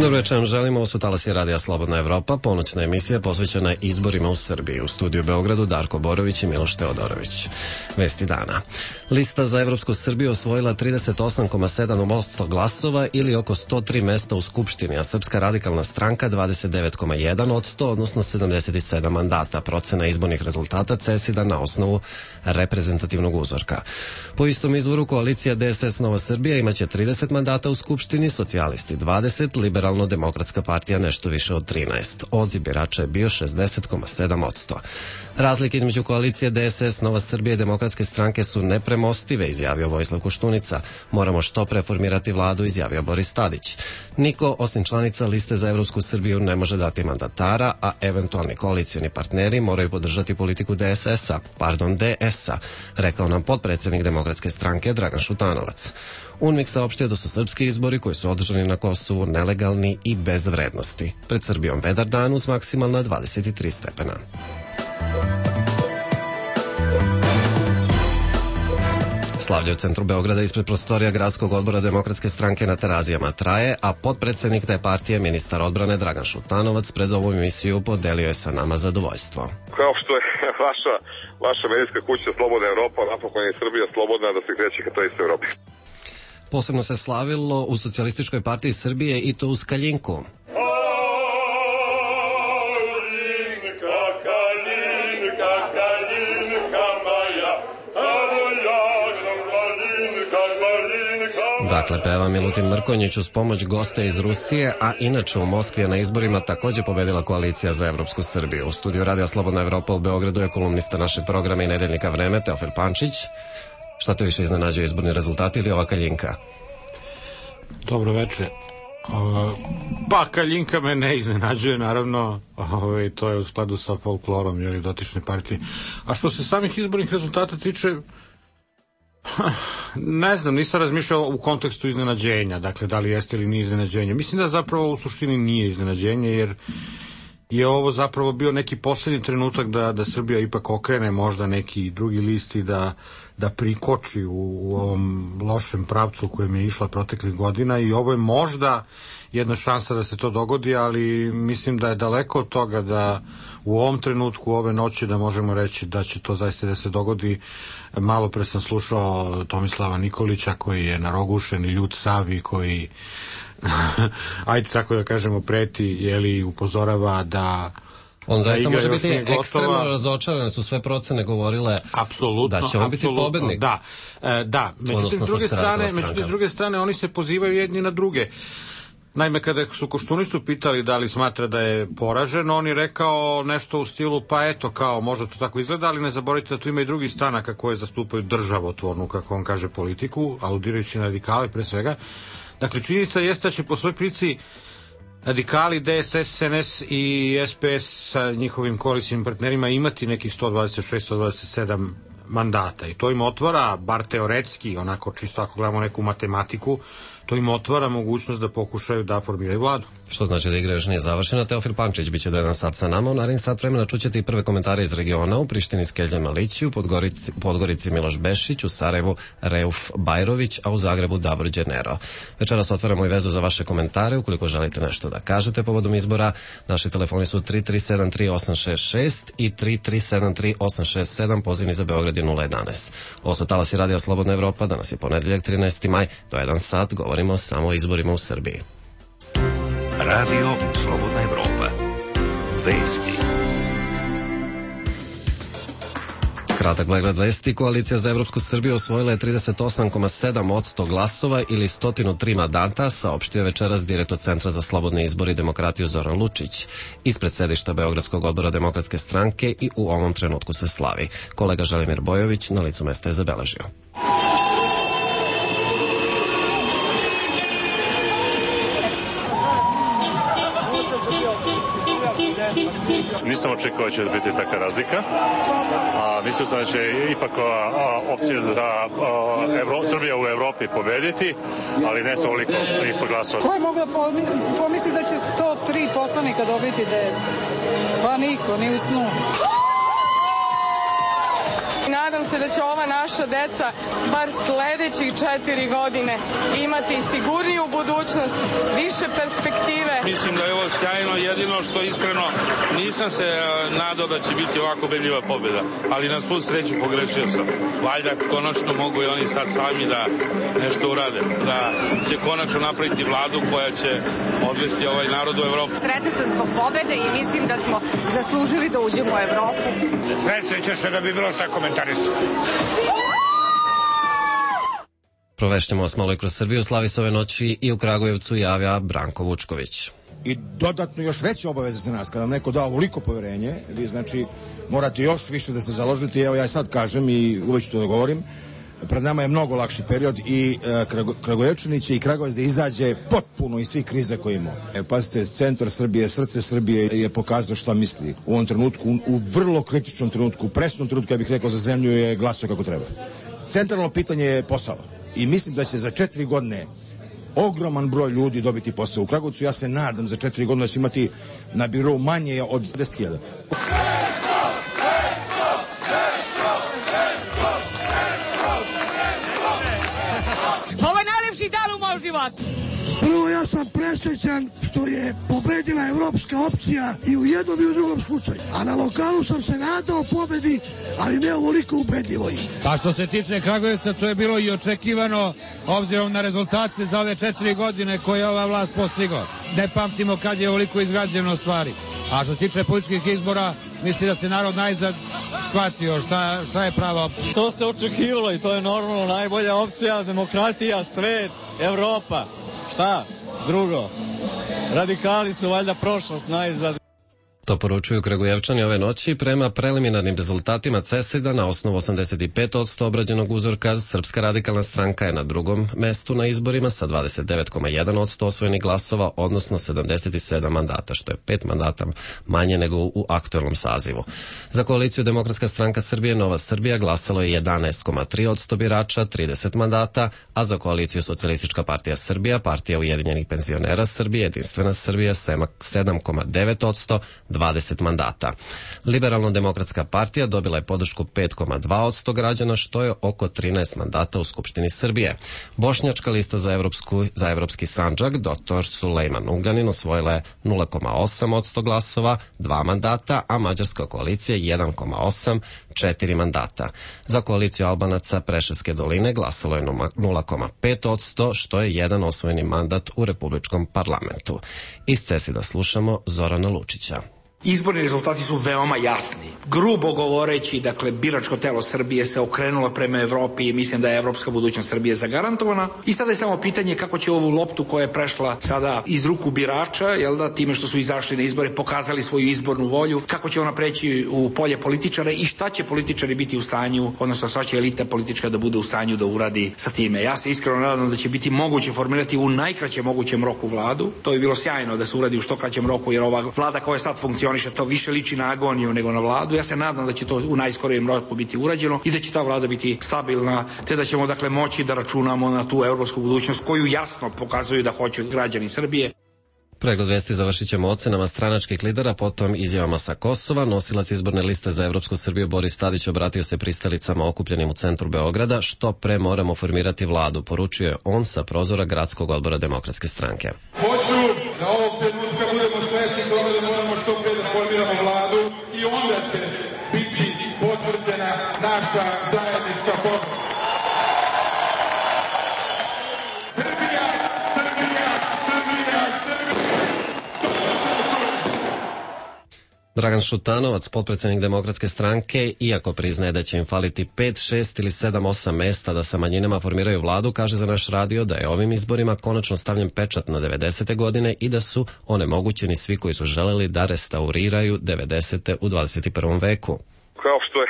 Dobro večer, želimo, ovo su Talasi radija Slobodna Evropa, ponoćna emisija posvećena izborima u Srbiji. U studiju u Beogradu Darko Borović i Miloš Teodorović. Vesti dana. Lista za Evropsku Srbiju osvojila 38,7% glasova ili oko 103 mesta u Skupštini, a Srpska radikalna stranka 29,1%, odnosno 77 mandata. Procena izbornih rezultata CESID-a na osnovu reprezentativnog uzorka. Po istom izvoru koalicija DSS Nova Srbija imaće 30 mandata u Skupštini, socijalisti 20, Liberalno-demokratska partija nešto više od 13. Odziv birača je bio 60,7%. Razlike između koalicije DSS Nova Srbija i Demokratske stranke su nepremostive, izjavio Vojislav Koštunica. Moramo što pre formirati vladu, izjavio Boris Tadić. Niko, osim članica liste za Evropsku Srbiju, ne može dati mandatara, a eventualni koalicioni partneri moraju podržati politiku DS-a, rekao nam potpredsednik Demokratske stranke Dragan Šutanovac. UNMIK saopštio da su srpski izbori koji su održani na Kosovu nelegalni i bez vrednosti. Pred Srbijom vedar dan uz maksimalna 23 stepena. Slavlje u centru Beograda ispred prostorija Gradskog odbora Demokratske stranke na Terazijama traje, a potpredsednik te partije, ministar odbrane Dragan Šutanovac, pred ovu emisiju podelio je sa nama zadovoljstvo. Kao što je vaša medijska kuća Slobodna Evropa, napokon je Srbija slobodna da se kreće ka toj istoj Evropi. Posebno se slavilo u Socijalističkoj partiji Srbije i to uz Kaljinku. Dakle, peva Milutin Mrkonjić uz pomoć gosta iz Rusije, a inače u Moskvi je na izborima takođe pobedila koalicija za Evropsku Srbiju. U studiju Radija Slobodna Evropa u Beogradu je kolumnista našeg programa i nedeljnika Vreme, Teofil Pančić. Šta te više iznenađuje, izborni rezultati ili ova Kaljinka? Dobro večer. Pa Kaljinka me ne iznenađuje, naravno, to je u skladu sa folklorom dotične partije. A što se samih izbornih rezultata tiče, ne znam, nisam razmišljao u kontekstu iznenađenja, dakle da li jeste ili nije iznenađenje. Mislim da zapravo u suštini nije iznenađenje, jer je ovo zapravo bio neki poslednji trenutak da Srbija ipak okrene možda neki drugi list i da prikoči u ovom lošem pravcu u kojem je išla proteklih godina, i ovo je možda jedna šansa da se to dogodi, ali mislim da je daleko od toga da u ovom trenutku, ove noći, da možemo reći da će to zaista da se dogodi. Malo pre sam slušao Tomislava Nikolića koji je narogušen i ljut sav i koji ajde tako da kažemo preti, upozorava da on zaista može biti ekstremno razočaran, su sve procene govorile da će on biti pobednik. Da. Međutim, s druge strane, oni se pozivaju jedni na druge. Naime, kada su Koštunicu pitali da li smatra da je poražen, on je rekao nešto u stilu, pa eto, kao, možda to tako izgleda, ali ne zaboravite da tu ima i drugi stranaka koje zastupaju državotvornu, kako on kaže, politiku, aludirajući na radikale pre svega. Dakle, činjenica jeste da će po svoj prilici radikali, DSS, SNS i SPS sa njihovim koalicijnim partnerima imati nekih 126-127 mandata, i to im otvara, bar teoretski, onako čisto ako gledamo neku matematiku, to im otvara mogućnost da pokušaju da formiraju vladu. Što znači da igra još nije završena. Teofil Pančić biće do 1 sat sa nama. U narednih sat vremena čućete i prve komentare iz regiona. U Prištini Skelja Malići, u Podgorici Miloš Bešić, u Sarajevu Reuf Bajrović, a u Zagrebu Davor Đenero. Večeras otvaramo i vezu za vaše komentare. Ukoliko želite nešto da kažete povodom izbora, naši telefoni su 3373-866 i 3373-867, pozivni za Beograd je 011. Ovo su Talasi Radija Slobodna Evropa, danas je ponedeljak 13. maj, do 1 sat govorimo samo o izborima u Srbiji. Radio Slobodna Evropa. Vesti. Kratak pregled vesti. Koalicija za Evropsku Srbiju osvojila je 38,7% glasova ili 103 mandata, saopštio je večeras direktor Centra za slobodne izbore i demokratiju Zoran Lučić. Ispred sedišta Beogradskog odbora Demokratske stranke i u ovom trenutku se slavi. Kolega Želimir Bojović na licu mesta je zabeležio. Nisam očekivao će da biti taka razlika, a mislio sam da će ipak opcija za Srbija u Evropi pobediti, ali ne sa ovoliko ipak glasova. Ko je mogla pomisliti da će 103 poslanika dobiti DS? Pa niko, ni u snu. nadam se da će ova naša deca bar sledećih 4 godine imati sigurniju budućnost, više perspektive. Mislim da je ovo sjajno, jedino što iskreno nisam se nadao da će biti ovako ubedljiva pobjeda, ali na svu sreću pogrešio sam. Valjda konačno mogu i oni sad sami da nešto urade, da će konačno napraviti vladu koja će odvesti ovaj narod u Evropu. Sretna sam zbog pobede i mislim da smo zaslužili da uđemo u Evropu. Nesreća se da bi bilo šta komentarisati. Provešćemo vas malo i kroz Srbiju. Slavi se ove noći i u Kragujevcu javlja Branko Vučković. I dodatno još veće obaveze za nas. Kada vam neko dao ovoliko poverenje, vi znači morate još više da se založite. Evo ja sad kažem i uvek ću to da govorim. Pred nama je mnogo lakši period i Kragujevčani će i Kragujevac da izađe potpuno iz svih kriza koje imamo. Pazite, centar Srbije, srce Srbije je pokazao šta misli. U ovom trenutku, u vrlo kritičnom trenutku, u presnom trenutku, ja bih rekao, za zemlju je glasio kako treba. Centralno pitanje je posao. I mislim da će za 4 godine ogroman broj ljudi dobiti posao u Kragujevcu. Ja se nadam za 4 godine da će imati na birou manje od 10.000. Ovo je najlepši dan u mom životu. Prvo, ja sam presrećan što je pobedila evropska opcija i u jednom i u drugom slučaju. A na lokalu sam se nadao pobedi, ali ne ovoliko ubedljivo. Pa što se tiče Kragujevca, to je bilo i očekivano, obzirom na rezultate za ove 4 godine koje je ova vlast postigla. Ne pamtimo kad je ovoliko izgrađeno stvari. A što se tiče političkih izbora, misli da se narod najzad shvatio šta je prava opcija. To se očekivalo i to je normalno najbolja opcija, demokratija, svet, Evropa. Šta? Drugo. Radikali su valjda prošlost najzad. To poručuju Kragujevčani ove noći. Prema preliminarnim rezultatima CESID-a na osnovu 85% obrađenog uzorka, Srpska radikalna stranka je na drugom mestu na izborima sa 29,1% osvojenih glasova, odnosno 77 mandata, što je 5 mandata manje nego u aktuelnom sazivu. Za koaliciju Demokratska stranka Srbije Nova Srbija glasalo je 11,3% birača, 30 mandata, a za koaliciju Socijalistička partija Srbija, Partija ujedinjenih penzionera Srbije, Jedinstvena Srbija 7,9%, 20 mandata. Liberalno-demokratska partija dobila je podršku 5,2% građana, što je oko 13 mandata u Skupštini Srbije. Bošnjačka lista za evropski Sandžak, dr. Sulejman Ugljanin, osvojila je 0,8% glasova, 2 mandata, a Mađarska koalicija 1,8%, 4 mandata. Za koaliciju Albanaca Preševske doline glasalo je 0,5%, što je jedan osvojeni mandat u Republičkom parlamentu. Iz CESID-a slušamo Zorana Lučića. Izborni rezultati su veoma jasni. Grubo govoreći, dakle, biračko telo Srbije se okrenulo prema Evropi i mislim da je evropska budućnost Srbije zagarantovana. I sada je samo pitanje kako će ovu loptu koja je prešla sada iz ruku birača, jel da, time što su izašli na izbore, pokazali svoju izbornu volju, kako će ona preći u polje političara i šta će političari biti u stanju, odnosno šta će elita politička da bude u stanju da uradi sa time. Ja se iskreno nadam da će biti moguće formirati u najkraćem mogućem roku vladu. To bi bilo sjajno da se uradi u što kraćem roku, jer ova vlada koja sad funkcioniše, to više liči na agoniju nego na vladu. Ja se nadam da će to u najskorijem roku biti urađeno i da će ta vlada biti stabilna, te da ćemo dakle moći da računamo na tu evropsku budućnost koju jasno pokazuju da hoće građani Srbije. Pregled vesti završit ćemo ocenama stranačkih lidera, potom izjavama sa Kosova. Nosilac izborne liste za Evropsku Srbiju Boris Tadić obratio se pristalicama okupljenim u centru Beograda. Što pre moramo formirati vladu, poručio je on sa prozora Gradskog odbora Demokratske stranke. Hoću da ovog trenutka budemo svesni toga da moramo što pre da formiramo vladu i onda će biti potvrđena naša zajednička pobeda. Dragan Šutanovac, potpredsjednik Demokratske stranke, iako priznaje da će im faliti 5, 6 ili 7, 8 mesta da sa manjinama formiraju vladu, kaže za naš radio da je ovim izborima konačno stavljen pečat na 90. godine i da su onemogućeni svi koji su želeli da restauriraju 90. u 21. veku. Kao što je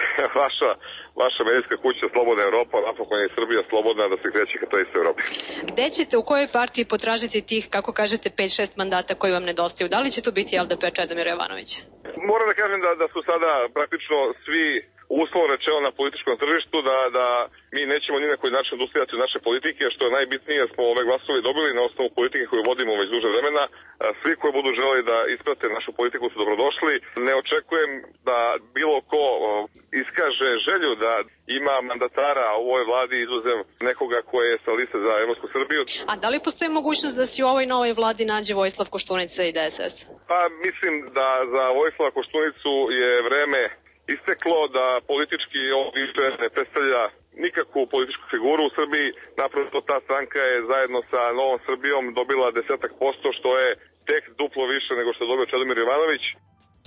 vaša medijska kuća Slobodna Evropa, napokon je Srbija slobodna da se kreće ka toj istoj Evropi. Gde ćete, u kojoj partiji potražiti tih, kako kažete, 5-6 mandata koji vam nedostaju? Da li će to biti LDP Čedomira Jovanovića? Moram da kažem da su sada praktično svi uslovno rečeno na političkom tržištu, da mi nećemo ni na koji način odustajati od naše politike, što je najbitnije, smo ove glasove dobili na osnovu politike koju vodimo već duže vremena. Svi koji budu želeli da isprate našu politiku su dobrodošli. Ne očekujem da bilo ko iskaže želju da ima mandatara u ovoj vladi izuzev nekoga ko je sa liste za Evropsku Srbiju. A da li postoji mogućnost da se u ovoj novoj vladi nađe Vojislav Koštunica i DSS? Pa mislim da za Vojislava Koštunicu je vreme isteklo, da politički on više ne predstavlja nikakvu političku figuru u Srbiji. Naprosto ta stranka je zajedno sa Novom Srbijom dobila 10%, što je tek duplo više nego što je dobio Čedomir Jovanović.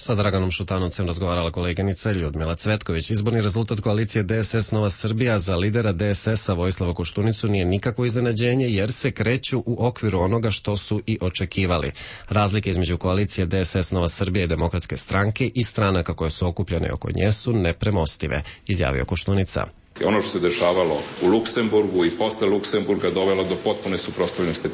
Sa Draganom Šutanovcem razgovarala koleginica Ljudmila Cvetković. Izborni rezultat koalicije DSS Nova Srbija za lidera DSS-a Vojislava Koštunicu nije nikakvo iznenađenje jer se kreću u okviru onoga što su i očekivali. Razlike između koalicije DSS Nova Srbija i Demokratske stranke i stranaka koje su okupljene oko nje su nepremostive, izjavio Koštunica. Ono što se dešavalo u Luksemburgu i posle Luksemburga dovelo do potpune suprotstavljenosti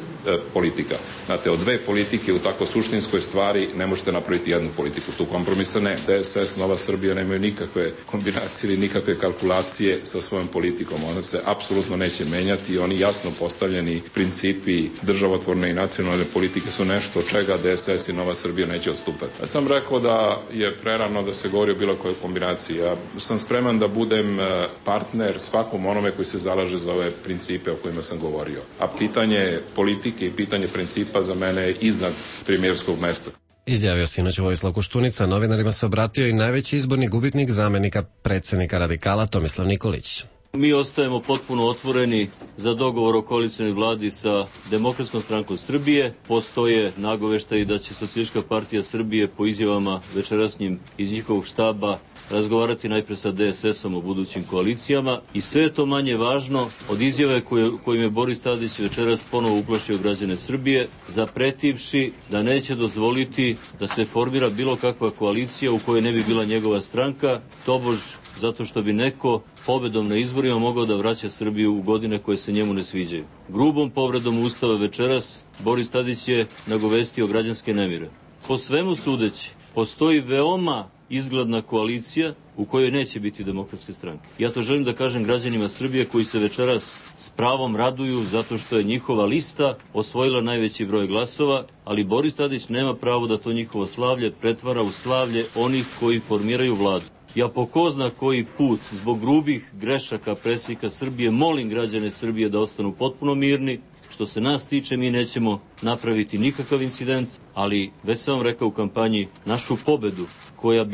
politika. Znate, od dve politike u tako suštinskoj stvari ne možete napraviti jednu politiku. Tu kompromisa ne. DSS, Nova Srbija nemaju nikakve kombinacije ili nikakve kalkulacije sa svojom politikom. Ona se apsolutno neće menjati i oni jasno postavljeni principi državotvorne i nacionalne politike su nešto od čega DSS i Nova Srbija neće odstupati. Ja sam rekao da je prerano da se govori o bilo kojoj kombinaciji. Ja sam spreman da budem partner svakom onome koji se zalaže za ove principe o kojima sam govorio. A pitanje politike i pitanje principa za mene je iznad premijerskog mesta. Izjavio sinoć Vojislav Koštunica, novinarima se obratio i najveći izborni gubitnik zamenika predsjednika radikala Tomislav Nikolić. Mi ostajemo potpuno otvoreni za dogovor o koalicionoj vladi sa Demokratskom strankom Srbije. Postoje nagoveštaji da će Socijalistička partija Srbije po izjavama večerasnjim iz njihovog štaba razgovarati najpre sa DSS-om o budućim koalicijama i sve je to manje važno od izjave kojim je Boris Tadić večeras ponovo uplašio građane Srbije, zapretivši da neće dozvoliti da se formira bilo kakva koalicija u kojoj ne bi bila njegova stranka, tobož zato što bi neko pobedom na izborima mogao da vraća Srbiju u godine koje se njemu ne sviđaju. Grubom povredom Ustava večeras Boris Tadić je nagovestio građanske nemire. Po svemu sudeći, postoji veoma izgledna koalicija u kojoj neće biti Demokratske stranke. Ja to želim da kažem građanima Srbije koji se večeras s pravom raduju zato što je njihova lista osvojila najveći broj glasova, ali Boris Tadić nema pravo da to njihovo slavlje pretvara u slavlje onih koji formiraju vladu. Ja po ko zna koji put, zbog grubih grešaka predsjednika Srbije, molim građane Srbije da ostanu potpuno mirni. Što se nas tiče, mi nećemo napraviti nikakav incident, ali već sam vam rekao u kampanji, našu pobedu koja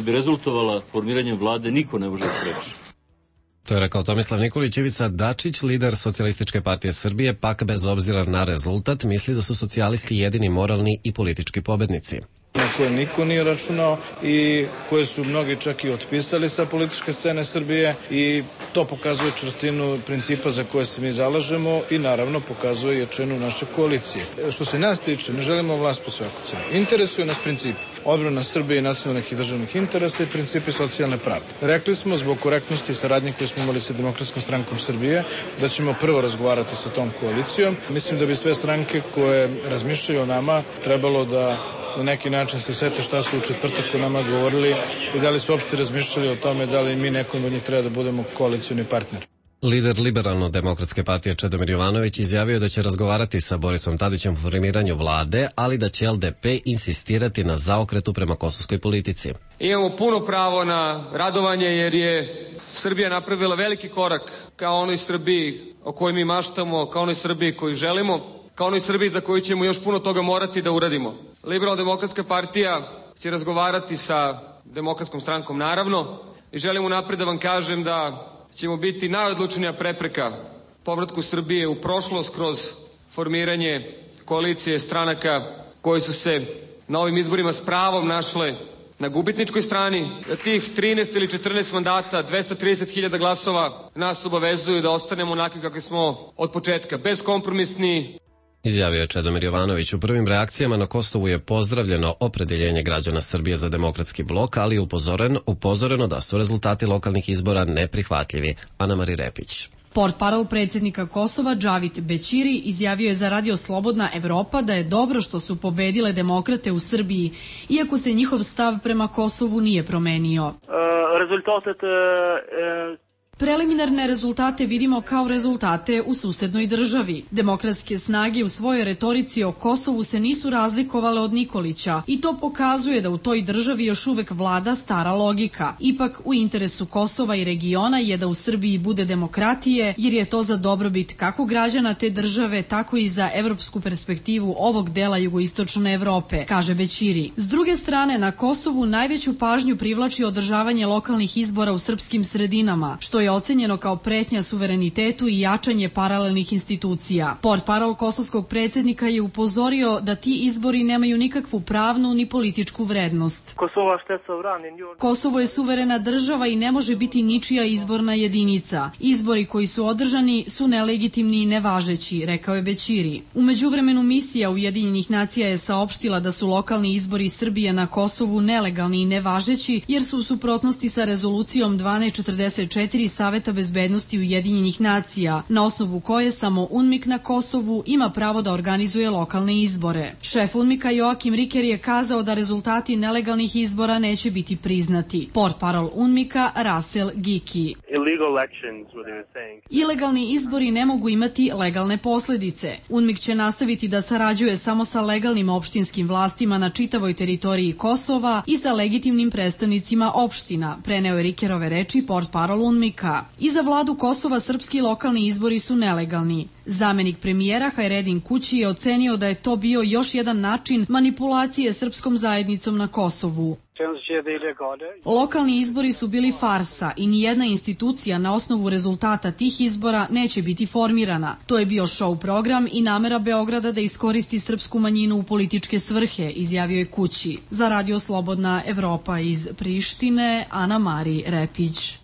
bi rezultovala formiranjem vlade, niko ne može spreći. To je rekao Tomislav Nikolić. Ivica Dačić, lider Socijalističke partije Srbije, pak bez obzira na rezultat, misli da su socijalisti jedini moralni i politički pobednici. Na koje niko nije računao i koje su mnogi čak i otpisali sa političke scene Srbije i to pokazuje čvrstinu principa za koje se mi zalažemo i naravno pokazuje jačinu naše koalicije. Što se nas tiče, ne želimo vlast po svaku cenu. Interesuje nas princip odbrana Srbije i nacionalnih i državnih interesa i principi socijalne pravde. Rekli smo zbog korektnosti i saradnje koju smo imali sa Demokratskom strankom Srbije da ćemo prvo razgovarati sa tom koalicijom. Mislim da bi sve stranke koje razmišljaju o nama trebalo da na neki način se sete šta su u četvrtak o nama govorili i da li su uopšte razmišljali o tome da li mi nekom od njih treba da budemo koalicioni partner. Lider Liberalno-demokratske partije Čedomir Jovanović izjavio da će razgovarati sa Borisom Tadićem o formiranju vlade, ali da će LDP insistirati na zaokretu prema kosovskoj politici. Imamo puno pravo na radovanje jer je Srbija napravila veliki korak ka onoj Srbiji o kojoj mi maštamo, ka onoj Srbiji koju želimo, ka onoj Srbiji za koju ćemo još puno toga morati da uradimo. Liberalno-demokratska partija će razgovarati sa Demokratskom strankom naravno i želim unapred da vam kažem da ćemo biti najodlučnija prepreka povratku Srbije u prošlost kroz formiranje koalicije stranaka koje su se na ovim izborima s pravom našle na gubitničkoj strani. Da tih 13 ili 14 mandata, 230.000 glasova nas obavezuju da ostanemo onakvi kakvi smo od početka, bezkompromisni. Izjavio je Čedomir Jovanović. U prvim reakcijama na Kosovu je pozdravljeno opredeljenje građana Srbije za demokratski blok, ali je upozoreno da su rezultati lokalnih izbora neprihvatljivi. Ana-Mari Repić. Portparol predsjednika Kosova Džavit Bećiri izjavio je za Radio Slobodna Evropa da je dobro što su pobedile demokrate u Srbiji, iako se njihov stav prema Kosovu nije promenio. Preliminarne rezultate vidimo kao rezultate u susednoj državi. Demokratske snage u svojoj retorici o Kosovu se nisu razlikovale od Nikolića i to pokazuje da u toj državi još uvek vlada stara logika. Ipak u interesu Kosova i regiona je da u Srbiji bude demokratije, jer je to za dobrobit kako građana te države, tako i za evropsku perspektivu ovog dela jugoistočne Evrope, kaže Bećiri. S druge strane, na Kosovu najveću pažnju privlači održavanje lokalnih izbora u srpskim sredinama, što je ocenjeno kao pretnja suverenitetu i jačanje paralelnih institucija. Portparol kosovskog predsjednika je upozorio da ti izbori nemaju nikakvu pravnu ni političku vrednost. Kosovo je suverena država i ne može biti ničija izborna jedinica. Izbori koji su održani su nelegitimni i nevažeći, rekao je Bećiri. U međuvremenu misija Ujedinjenih nacija je saopštila da su lokalni izbori Srbije na Kosovu nelegalni i nevažeći jer su u suprotnosti sa rezolucijom 1244 Saveta bezbednosti Ujedinjenih nacija, na osnovu koje samo UNMIK na Kosovu ima pravo da organizuje lokalne izbore. Šef UNMIK-a Joakim Riker je kazao da rezultati nelegalnih izbora neće biti priznati. Portparol UNMIK-a Rasel Giki. Ilegalni izbori ne mogu imati legalne posledice. UNMIK će nastaviti da sarađuje samo sa legalnim opštinskim vlastima na čitavoj teritoriji Kosova i sa legitimnim predstavnicima opština, preneo je Rikerove reči portparol UNMIK-a. I za vladu Kosova srpski lokalni izbori su nelegalni. Zamenik premijera Hajredin Kući je ocenio da je to bio još jedan način manipulacije srpskom zajednicom na Kosovu. Lokalni izbori su bili farsa i nijedna institucija na osnovu rezultata tih izbora neće biti formirana. To je bio show program i namera Beograda da iskoristi srpsku manjinu u političke svrhe, izjavio je Kući. Za Radio Slobodna Evropa iz Prištine, Ana Mari Repić.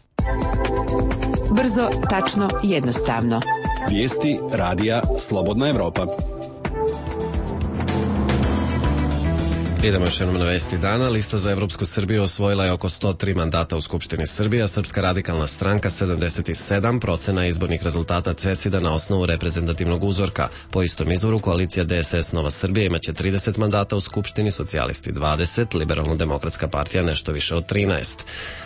Brzo, tačno, jednostavno. Vijesti Radija Slobodna Evropa. Idemo još jednom na vesti dana. Lista za Evropsku Srbiju osvojila je oko 103 mandata u Skupštini Srbije, a Srpska radikalna stranka 77, procena izbornih rezultata CESID-a na osnovu reprezentativnog uzorka. Po istom izvoru koalicija DSS Nova Srbija imaće 30 mandata u Skupštini, socijalisti 20, Liberalno-demokratska partija nešto više od 13.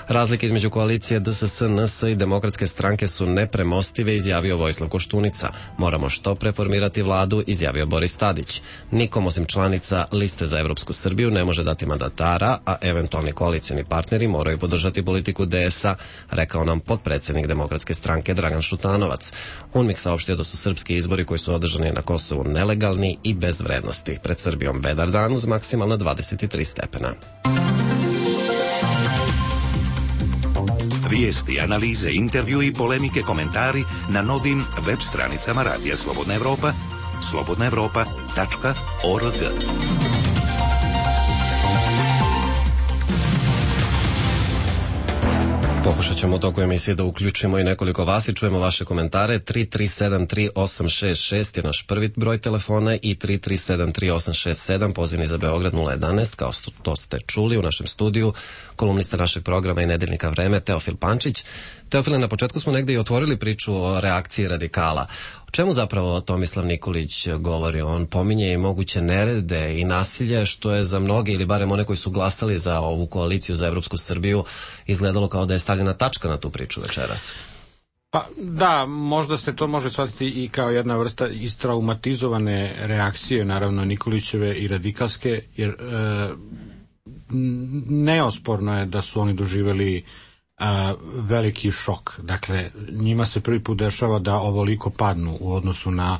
Razlike između koalicije DSS, NS i Demokratske stranke su nepremostive, izjavio Vojislav Koštunica. Moramo što pre formirati vladu, izjavio Boris Tadić. Nikom osim članica Liste za Evropsku Srbiju ne može dati mandatara, a eventualni koalicioni partneri moraju podržati politiku DS-a, rekao nam potpredsjednik Demokratske stranke Dragan Šutanovac. UNMIK saopštio da su srpski izbori koji su održani na Kosovu nelegalni i bez vrednosti. Pred Srbijom vedar dan uz maksimalno 23 stepena. Vijesti, analize, intervju i polemike, komentari na novim web stranicama Radija Slobodna Evropa, slobodnaevropa.org. Pokušat ćemo u toku emisije da uključimo i nekoliko vas i čujemo vaše komentare. 3373866 je naš prvi broj telefona i 3373867 pozivni za Beograd 011, kao to ste čuli u našem studiju, kolumnista našeg programa i nedeljnika Vreme Teofil Pančić. Teofile, na početku smo negde i otvorili priču o reakciji radikala. O čemu zapravo Tomislav Nikolić govori? On pominje i moguće nerede i nasilje, što je za mnoge ili barem one koji su glasali za ovu koaliciju za Evropsku Srbiju izgledalo kao da je stavljena tačka na tu priču večeras. Pa da, možda se to može shvatiti i kao jedna vrsta istraumatizovane reakcije, naravno Nikolićeve i radikalske, jer neosporno je da su oni doživjeli veliki šok. Dakle, njima se prvi put dešava da ovoliko padnu u odnosu na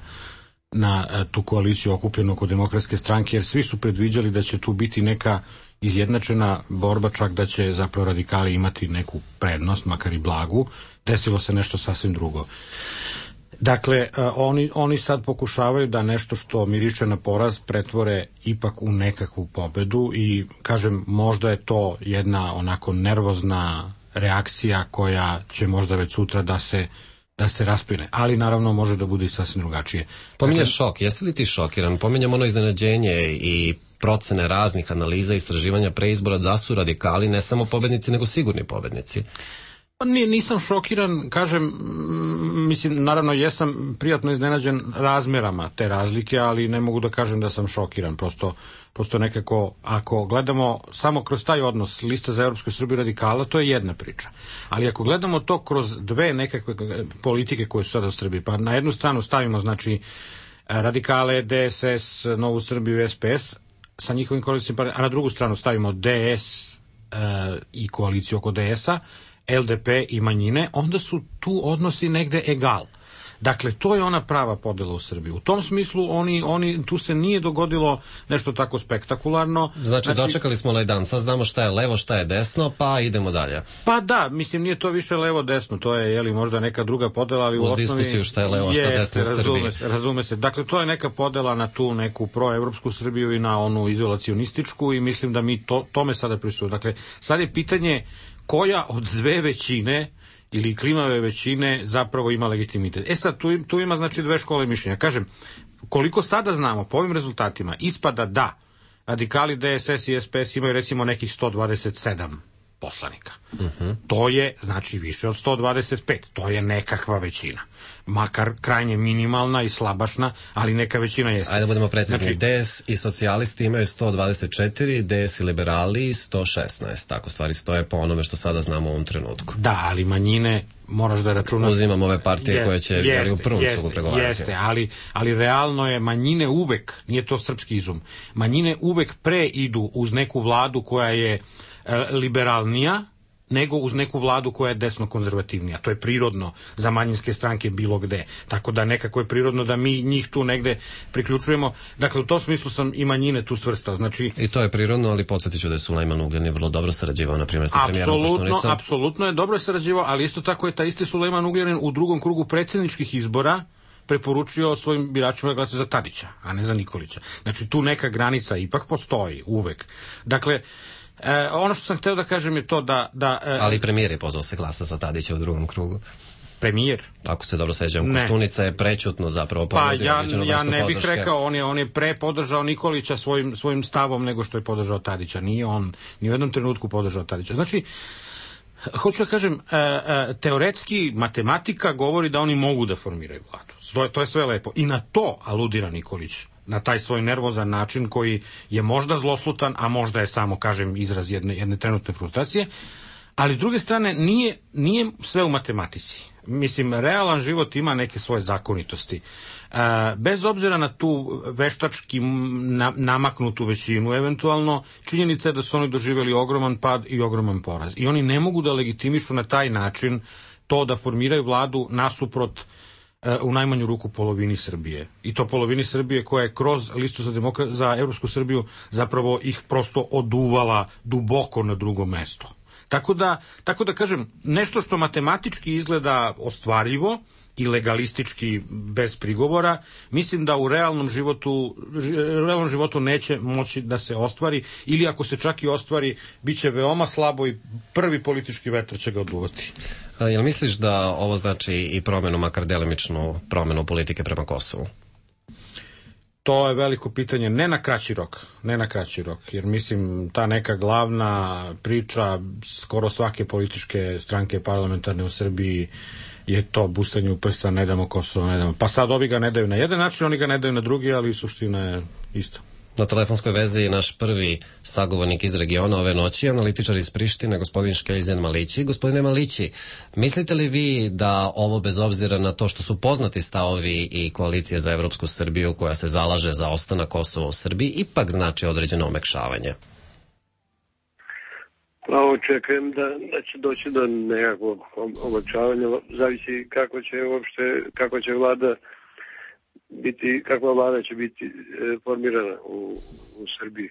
tu koaliciju okupljenu oko Demokratske stranke, jer svi su predviđali da će tu biti neka izjednačena borba, čak da će zapravo radikali imati neku prednost, makar i blagu. Desilo se nešto sasvim drugo. Dakle, oni sad pokušavaju da nešto što miriše na poraz pretvore ipak u nekakvu pobedu i, kažem, možda je to jedna onako nervozna reakcija koja će možda već sutra da se raspline, ali naravno može da bude i sasvim drugačije. Pominješ šok, jesi li ti šokiran? Pominjam ono iznenađenje i procene raznih analiza i istraživanja pre izbora da su radikali ne samo pobednici nego sigurni pobednici. Pa nisam šokiran, kažem, mislim, naravno jesam prijatno iznenađen razmerama te razlike, ali ne mogu da kažem da sam šokiran, prosto nekako, ako gledamo samo kroz taj odnos Lista za Evropsku Srbiju radikala, to je jedna priča. Ali ako gledamo to kroz dve nekakve politike koje su sada u Srbiji, pa na jednu stranu stavimo, znači, radikale, DSS, Novu Srbiju, SPS, sa njihovim koalicijom, a na drugu stranu stavimo DS i koaliciju oko DS-a, LDP i manjine, onda su tu odnosi negde egal. Dakle, to je ona prava podela u Srbiji. U tom smislu tu se nije dogodilo nešto tako spektakularno. Znači, dočekali smo ovaj dan, sad znamo šta je levo, šta je desno, pa idemo dalje. Pa da, mislim, nije to više levo-desno, to je možda neka druga podela, ali u osnovi... Uz diskusiju šta je levo, šta je desno u Srbiji. Razume se. Dakle, to je neka podela na tu neku proevropsku Srbiju i na onu izolacionističku i mislim da mi tome sada prisutimo. Dakle, sad je pitanje koja od dve većine ili klimave većine zapravo ima legitimitet. Sad, tu ima znači dve škole mišljenja. Kažem, koliko sada znamo po ovim rezultatima, ispada da radikali, DSS i SPS imaju recimo nekih 127 poslanika. To je, znači, više od 125. To je nekakva većina. Makar krajnje minimalna i slabašna, ali neka većina jeste. Ajde da budemo precizni. Znači, DS i socijalisti imaju 124, DS i liberali 116. Tako stvari stoje po onome što sada znamo u ovom trenutku. Da, ali manjine moraš da računaš... Uzimam ove partije koje će u prvom sugu pregovarati. Jeste, ali realno je manjine uvek, nije to srpski izum, manjine uvek pre idu uz neku vladu koja je liberalnija nego uz neku vladu koja je desno-konzervativnija. To je prirodno za manjinske stranke bilo gde. Tako da nekako je prirodno da mi njih tu negde priključujemo. Dakle, u tom smislu sam i manjine tu svrstao. Znači, i to je prirodno, ali podsjetit ću da je Sulejman Ugljanin vrlo dobro sarađivao, na primjer, sa premijerom Koštunicom. Apsolutno je dobro sarađivao, ali isto tako je taj isti Sulejman Ugljanin u drugom krugu predsjedničkih izbora preporučio svojim biračima da glase za Tadića, a ne za Nikolića. Znači, tu neka granica ipak postoji, uvek. Dakle, ono što sam hteo da kažem je to da... Ali premijer je pozvao se glasa za Tadića u drugom krugu. Premijer? Ako se dobro sećam, Koštunica je prećutno zapravo ponudio određenu vrstu podrške. Ja ne bih rekao, on je pre podržao Nikolića svojim stavom nego što je podržao Tadića. Nije on ni u jednom trenutku podržao Tadića. Znači, hoću da kažem, teoretski matematika govori da oni mogu da formiraju vladu. To je sve lepo. I na to aludira Nikolić, na taj svoj nervozan način koji je možda zloslutan, a možda je samo, kažem, izraz jedne trenutne frustracije, ali s druge strane nije sve u matematici. Mislim, realan život ima neke svoje zakonitosti. Bez obzira na tu veštački namaknutu većinu, eventualno, činjenica je da su oni doživjeli ogroman pad i ogroman poraz. I oni ne mogu da legitimišu na taj način to da formiraju vladu nasuprot u najmanju ruku polovini Srbije. I to polovini Srbije koja je kroz listu za Evropsku Srbiju zapravo ih prosto oduvala duboko na drugo mesto. Tako da kažem, nešto što matematički izgleda ostvarljivo i legalistički bez prigovora, mislim da u realnom životu neće moći da se ostvari, ili ako se čak i ostvari, bit će veoma slabo i prvi politički vetar će ga oduvati. Jel misliš da ovo znači i promenu, makar delimičnu promenu politike prema Kosovu? To je veliko pitanje, ne na kraći rok, jer mislim ta neka glavna priča skoro svake političke stranke parlamentarne u Srbiji je to busanje u prsa, ne damo Kosovo, ne damo. Pa sad ovi ga ne daju na jedan način, oni ga ne daju na drugi, ali suština je ista. Na telefonskoj vezi je naš prvi sagovornik iz regiona ove noći, analitičar iz Prištine, gospodin Škeljzen Malići. Gospodine Malići, mislite li vi da ovo, bez obzira na to što su poznati stavovi i koalicije za Evropsku Srbiju koja se zalaže za ostanak Kosova u Srbiji, ipak znači određeno omekšavanje? Pa očekujem da će doći do nekakvog omekšavanja, zavisi kako će vlada biti, kakva vlada će biti formirana u Srbiji.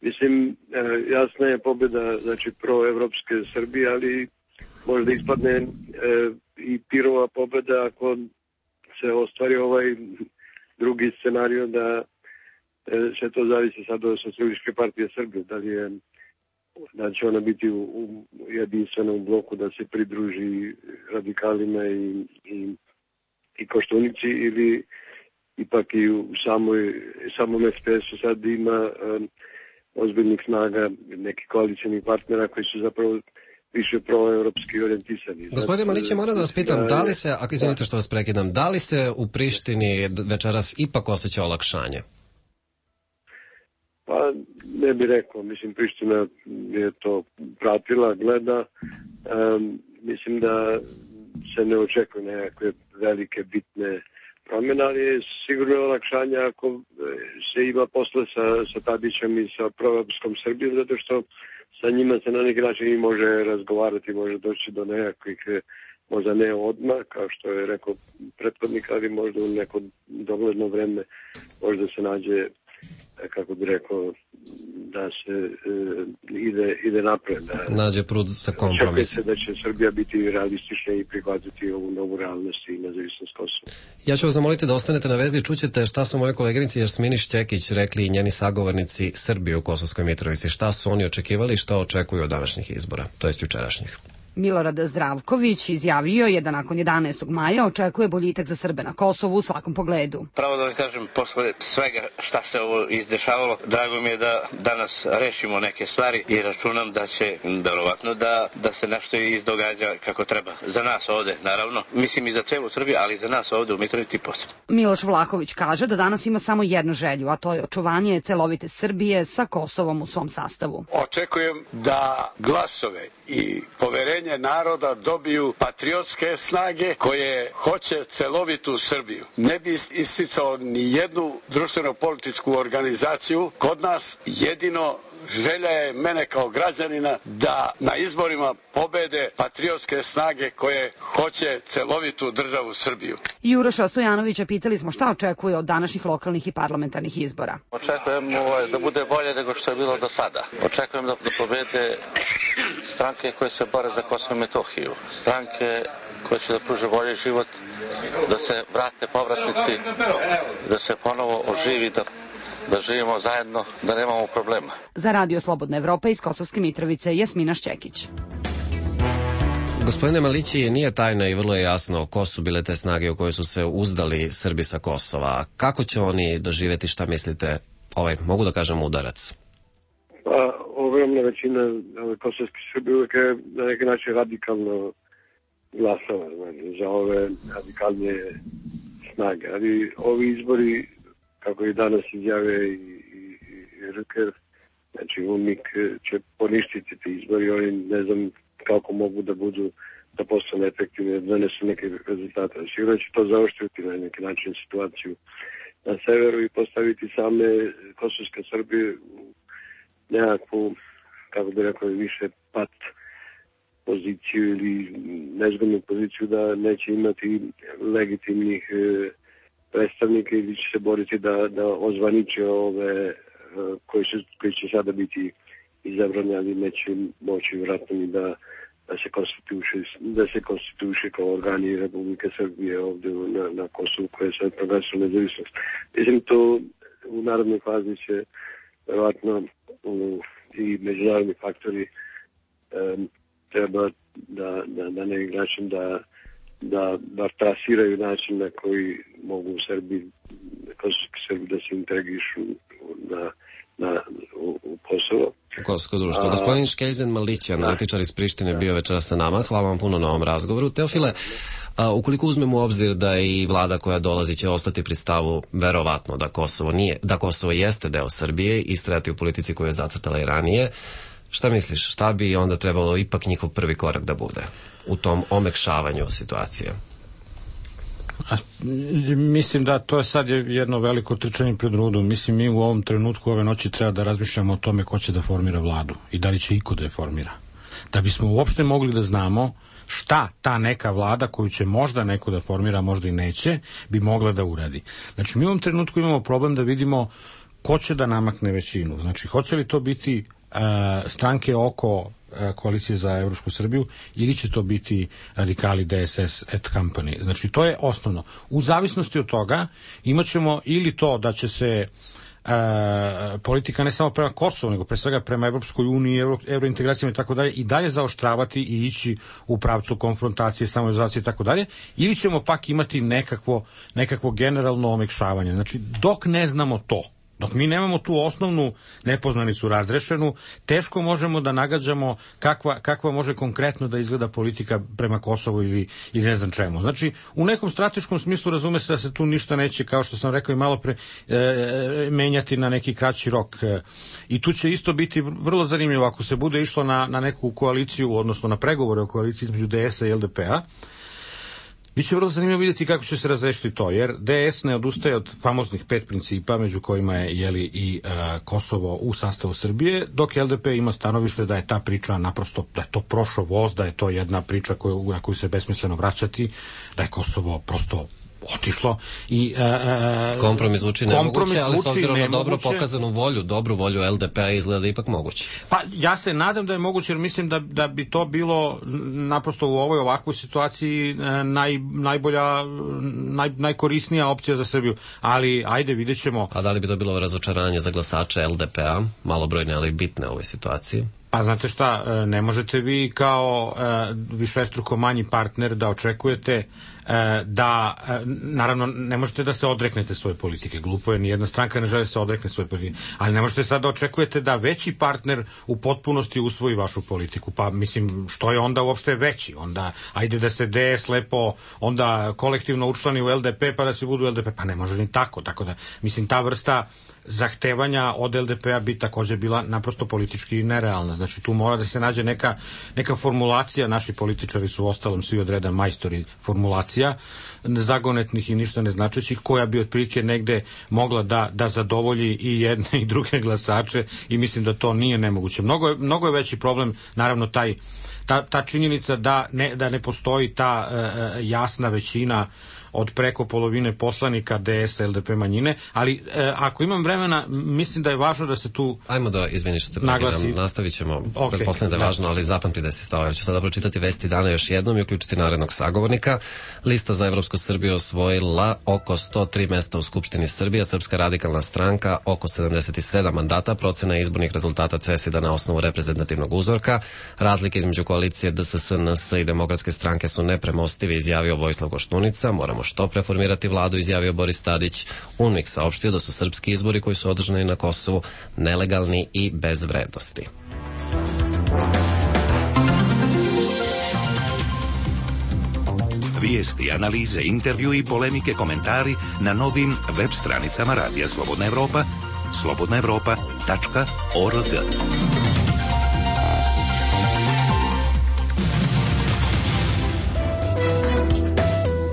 Mislim, jasna je pobjeda, znači, proevropske Srbije, ali možda ispadne i pirova pobjeda ako se ostvari ovaj drugi scenario da će to zavisi sad od Socijalističke partije Srbije, da će ona biti u jedinstvenom bloku, da se pridruži radikalima i Koštunici, ili ipak i u samom SPS-u sad ima ozbiljnih snaga, nekih koalicijnih partnera koji su zapravo više proevropski orijentisani. Gospodine Malić, moram da vas pitam, da li se, ako izvinite što vas prekidam, da li se u Prištini večeras ipak osjeća olakšanje? Pa ne bih rekao, mislim Priština je to pratila, gleda, mislim da se ne očekuje nekakve velike bitne promjene, ali je sigurno olakšanje ako se ima posle sa Tadićem i sa proevropskom Srbijom, zato što sa njima se na neki način i može razgovarati, može doći do nekakvih, možda ne odmah, kao što je rekao prethodnik, ali možda u neko dogledno vreme možda se nađe, kako bi rekao, da se ide napred. Nađe prud sa kompromisom. Da će Srbija biti realistična i prihvatiti ovu novu realnost i nezavisnost Kosova. Ja ću vas zamoliti da ostanete na vezi i čućete šta su moje koleginici Jasmini Šćekić rekli i njeni sagovornici Srbije u Kosovskoj Mitrovici. Šta su oni očekivali i šta očekuju od današnjih izbora, to jest jučerašnjih. Milorad Zdravković izjavio je da nakon 11. maja očekuje boljitak za Srbe na Kosovu u svakom pogledu. Pravo da vam kažem, posle svega šta se ovo izdešavalo, drago mi je da danas rešimo neke stvari i računam da će, verovatno, da se nešto izdogađa kako treba. Za nas ovde, naravno, mislim i za celu Srbiju, ali i za nas ovde u Mitrovici posebno. Miloš Vlahović kaže da danas ima samo jednu želju, a to je očuvanje celovite Srbije sa Kosovom u svom sastavu. Očekujem da glasove i poverenje naroda dobiju patriotske snage koje hoće celovitu Srbiju. Ne bi isticao ni jednu društveno-političku organizaciju. Kod nas jedino želja je mene kao građanina da na izborima pobede patriotske snage koje hoće celovitu državu Srbiju. Juroša Stojanovića pitali smo šta očekuje od današnjih lokalnih i parlamentarnih izbora. Očekujem da bude bolje nego što je bilo do sada. Očekujem da pobede stranke koje se bore za Kosovo i Metohiju. Stranke koje će da pruže bolji život, da se vrate povratnici, da se ponovo oživi, da živimo zajedno, da nemamo problema. Za Radio Slobodna Evropa iz Kosovske Mitrovice, Jasmina Šćekić. Gospodine Malići, nije tajna i vrlo je jasno ko su bile te snage u koje su se uzdali Srbi sa Kosova. Kako će oni doživjeti, šta mislite, mogu da kažem, udarac? Pa, ogromna većina kosovskih Srbi uvijek je na neki način radikalno glasala za ove radikalnije snage. Ali ovi izbori, kako i danas izjave i Rüker, znači UNMIK će poništiti te izbori, oni ne znam kako mogu da postane efektivne, da donesu neke rezultate. Sigurno će to zaoštriti na neki način situaciju na severu i postaviti same kosovske Srbije u nekakvu, kako bi rekao, više pat poziciju ili nezgodnu poziciju da neće imati legitimnih predstavnika ili će se boriti da ozvaniče ove koji će sada biti izabrani, ali neće moći vratno ni da se konstituiše kao organi Republike Srbije ovde na Kosovu koje se proglasilo nezavisnost. Mislim, to u narodnoj fazi će verovatno i međunarodni faktori treba da na neki način da bar trasiraju način na koji mogu kosovski Srbi da se integrišu u Kosovo. U kosovsko društvo. Gospodin Škeljzen Malić, analitičar iz Prištine, bio večera sa nama. Hvala vam puno na ovom razgovoru. Teofile, ukoliko uzmemo u obzir da i vlada koja dolazi će ostati pri stavu verovatno da Kosovo jeste deo Srbije i istrajati u politici koju je zacrtala i ranije, šta misliš, šta bi onda trebalo ipak njihov prvi korak da bude u tom omekšavanju situacije? Mislim da to je sad jedno veliko trčanje pred rudu. Mislim, mi u ovom trenutku ove noći treba da razmišljamo o tome ko će da formira vladu i da li će iko da je formira. Da bismo uopšte mogli da znamo šta ta neka vlada koju će možda neko da formira, možda i neće, bi mogla da uradi. Znači, mi u ovom trenutku imamo problem da vidimo ko će da namakne većinu. Znači, hoće li to biti stranke oko koalicije za Evropsku Srbiju ili će to biti radikali DSS et company. Znači, to je osnovno. U zavisnosti od toga imat ćemo ili to da će se politika ne samo prema Kosovu, nego pre svega prema Evropskoj uniji, evrointegracijama i tako dalje, i dalje zaoštravati i ići u pravcu konfrontacije, samoizolacije i tako dalje, ili ćemo pak imati nekakvo generalno omekšavanje. Znači, dok ne znamo to, Dok mi nemamo tu osnovnu nepoznanicu razrešenu, teško možemo da nagađamo kakva može konkretno da izgleda politika prema Kosovu ili ne znam čemu. Znači, u nekom strateškom smislu razume se da se tu ništa neće, kao što sam rekao i malo pre, menjati na neki kraći rok. I tu će isto biti vrlo zanimljivo ako se bude išlo na neku koaliciju, odnosno na pregovore o koaliciji između DS-a i LDP-a. Biće vrlo zanimljivo vidjeti kako će se razrešiti to, jer DS ne odustaje od famoznih 5 principa, među kojima je i Kosovo u sastavu Srbije, dok LDP ima stanovište da je ta priča naprosto, da je to prošao voz, da je to jedna priča na koju se besmisleno vraćati, da je Kosovo prosto otišlo i kompromis zvuči nemoguće, ali s obzirom na dobro pokazanu volju, dobru volju LDP-a izgleda ipak moguće. Pa ja se nadam da je moguće, jer mislim da bi to bilo naprosto u ovakvoj situaciji najkorisnija opcija za Srbiju, ali ajde, vidjet ćemo. A da li bi to bilo razočaranje za glasače LDP-a, malobrojne ali bitne u ovoj situaciji? Pa znate šta, ne možete vi kao višestruko manji partner da očekujete da, naravno, ne možete da se odreknete svoje politike. Glupo je, nijedna stranka ne želi se odrekne svoje politike. Ali ne možete sad da očekujete da veći partner u potpunosti usvoji vašu politiku. Pa mislim, što je onda uopšte veći? Onda, ajde da se DS lepo onda kolektivno učlani u LDP pa da se budu LDP. Pa ne može ni tako. Tako da, mislim, ta vrsta zahtevanja od LDP-a bi također bila naprosto politički nerealna. Znači, tu mora da se nađe neka formulacija. Naši političari su ostalom svi od reda majstori formulacija, zagonetnih i ništa neznačećih, koja bi otprilike negde mogla da zadovolji i jedne i druge glasače, i mislim da to nije nemoguće. Mnogo je veći problem, naravno, ta činjenica da ne postoji ta jasna većina od preko polovine poslanika DS, LDP manjine, ali ako imam vremena, mislim da je važno da se tu Ajmo da, izvini što se prekidam, nastavit ćemo, pretpostavljam da je važno, ali zapamtite se stava, jer ću sada pročitati vesti dana još jednom i uključiti narednog sagovornika. Lista za Evropsku Srbiju osvojila oko 103 mesta u Skupštini Srbije, Srpska radikalna stranka oko 77 mandata, procena izbornih rezultata CESID-a na osnovu reprezentativnog uzorka, razlike između koalicije DSS, NS i Demokratske stranke su nepremostivi, izjavio Vojislav Koštunica. Moramo što preformirati vladu, izjavio Boris Tadić. UNMIK saopštio da su srpski izbori koji su održani na Kosovu nelegalni i bez vrednosti. Vijesti, analize, intervju i polemike, komentari na novim web stranicama Radija Slobodna Evropa, slobodnaevropa.org.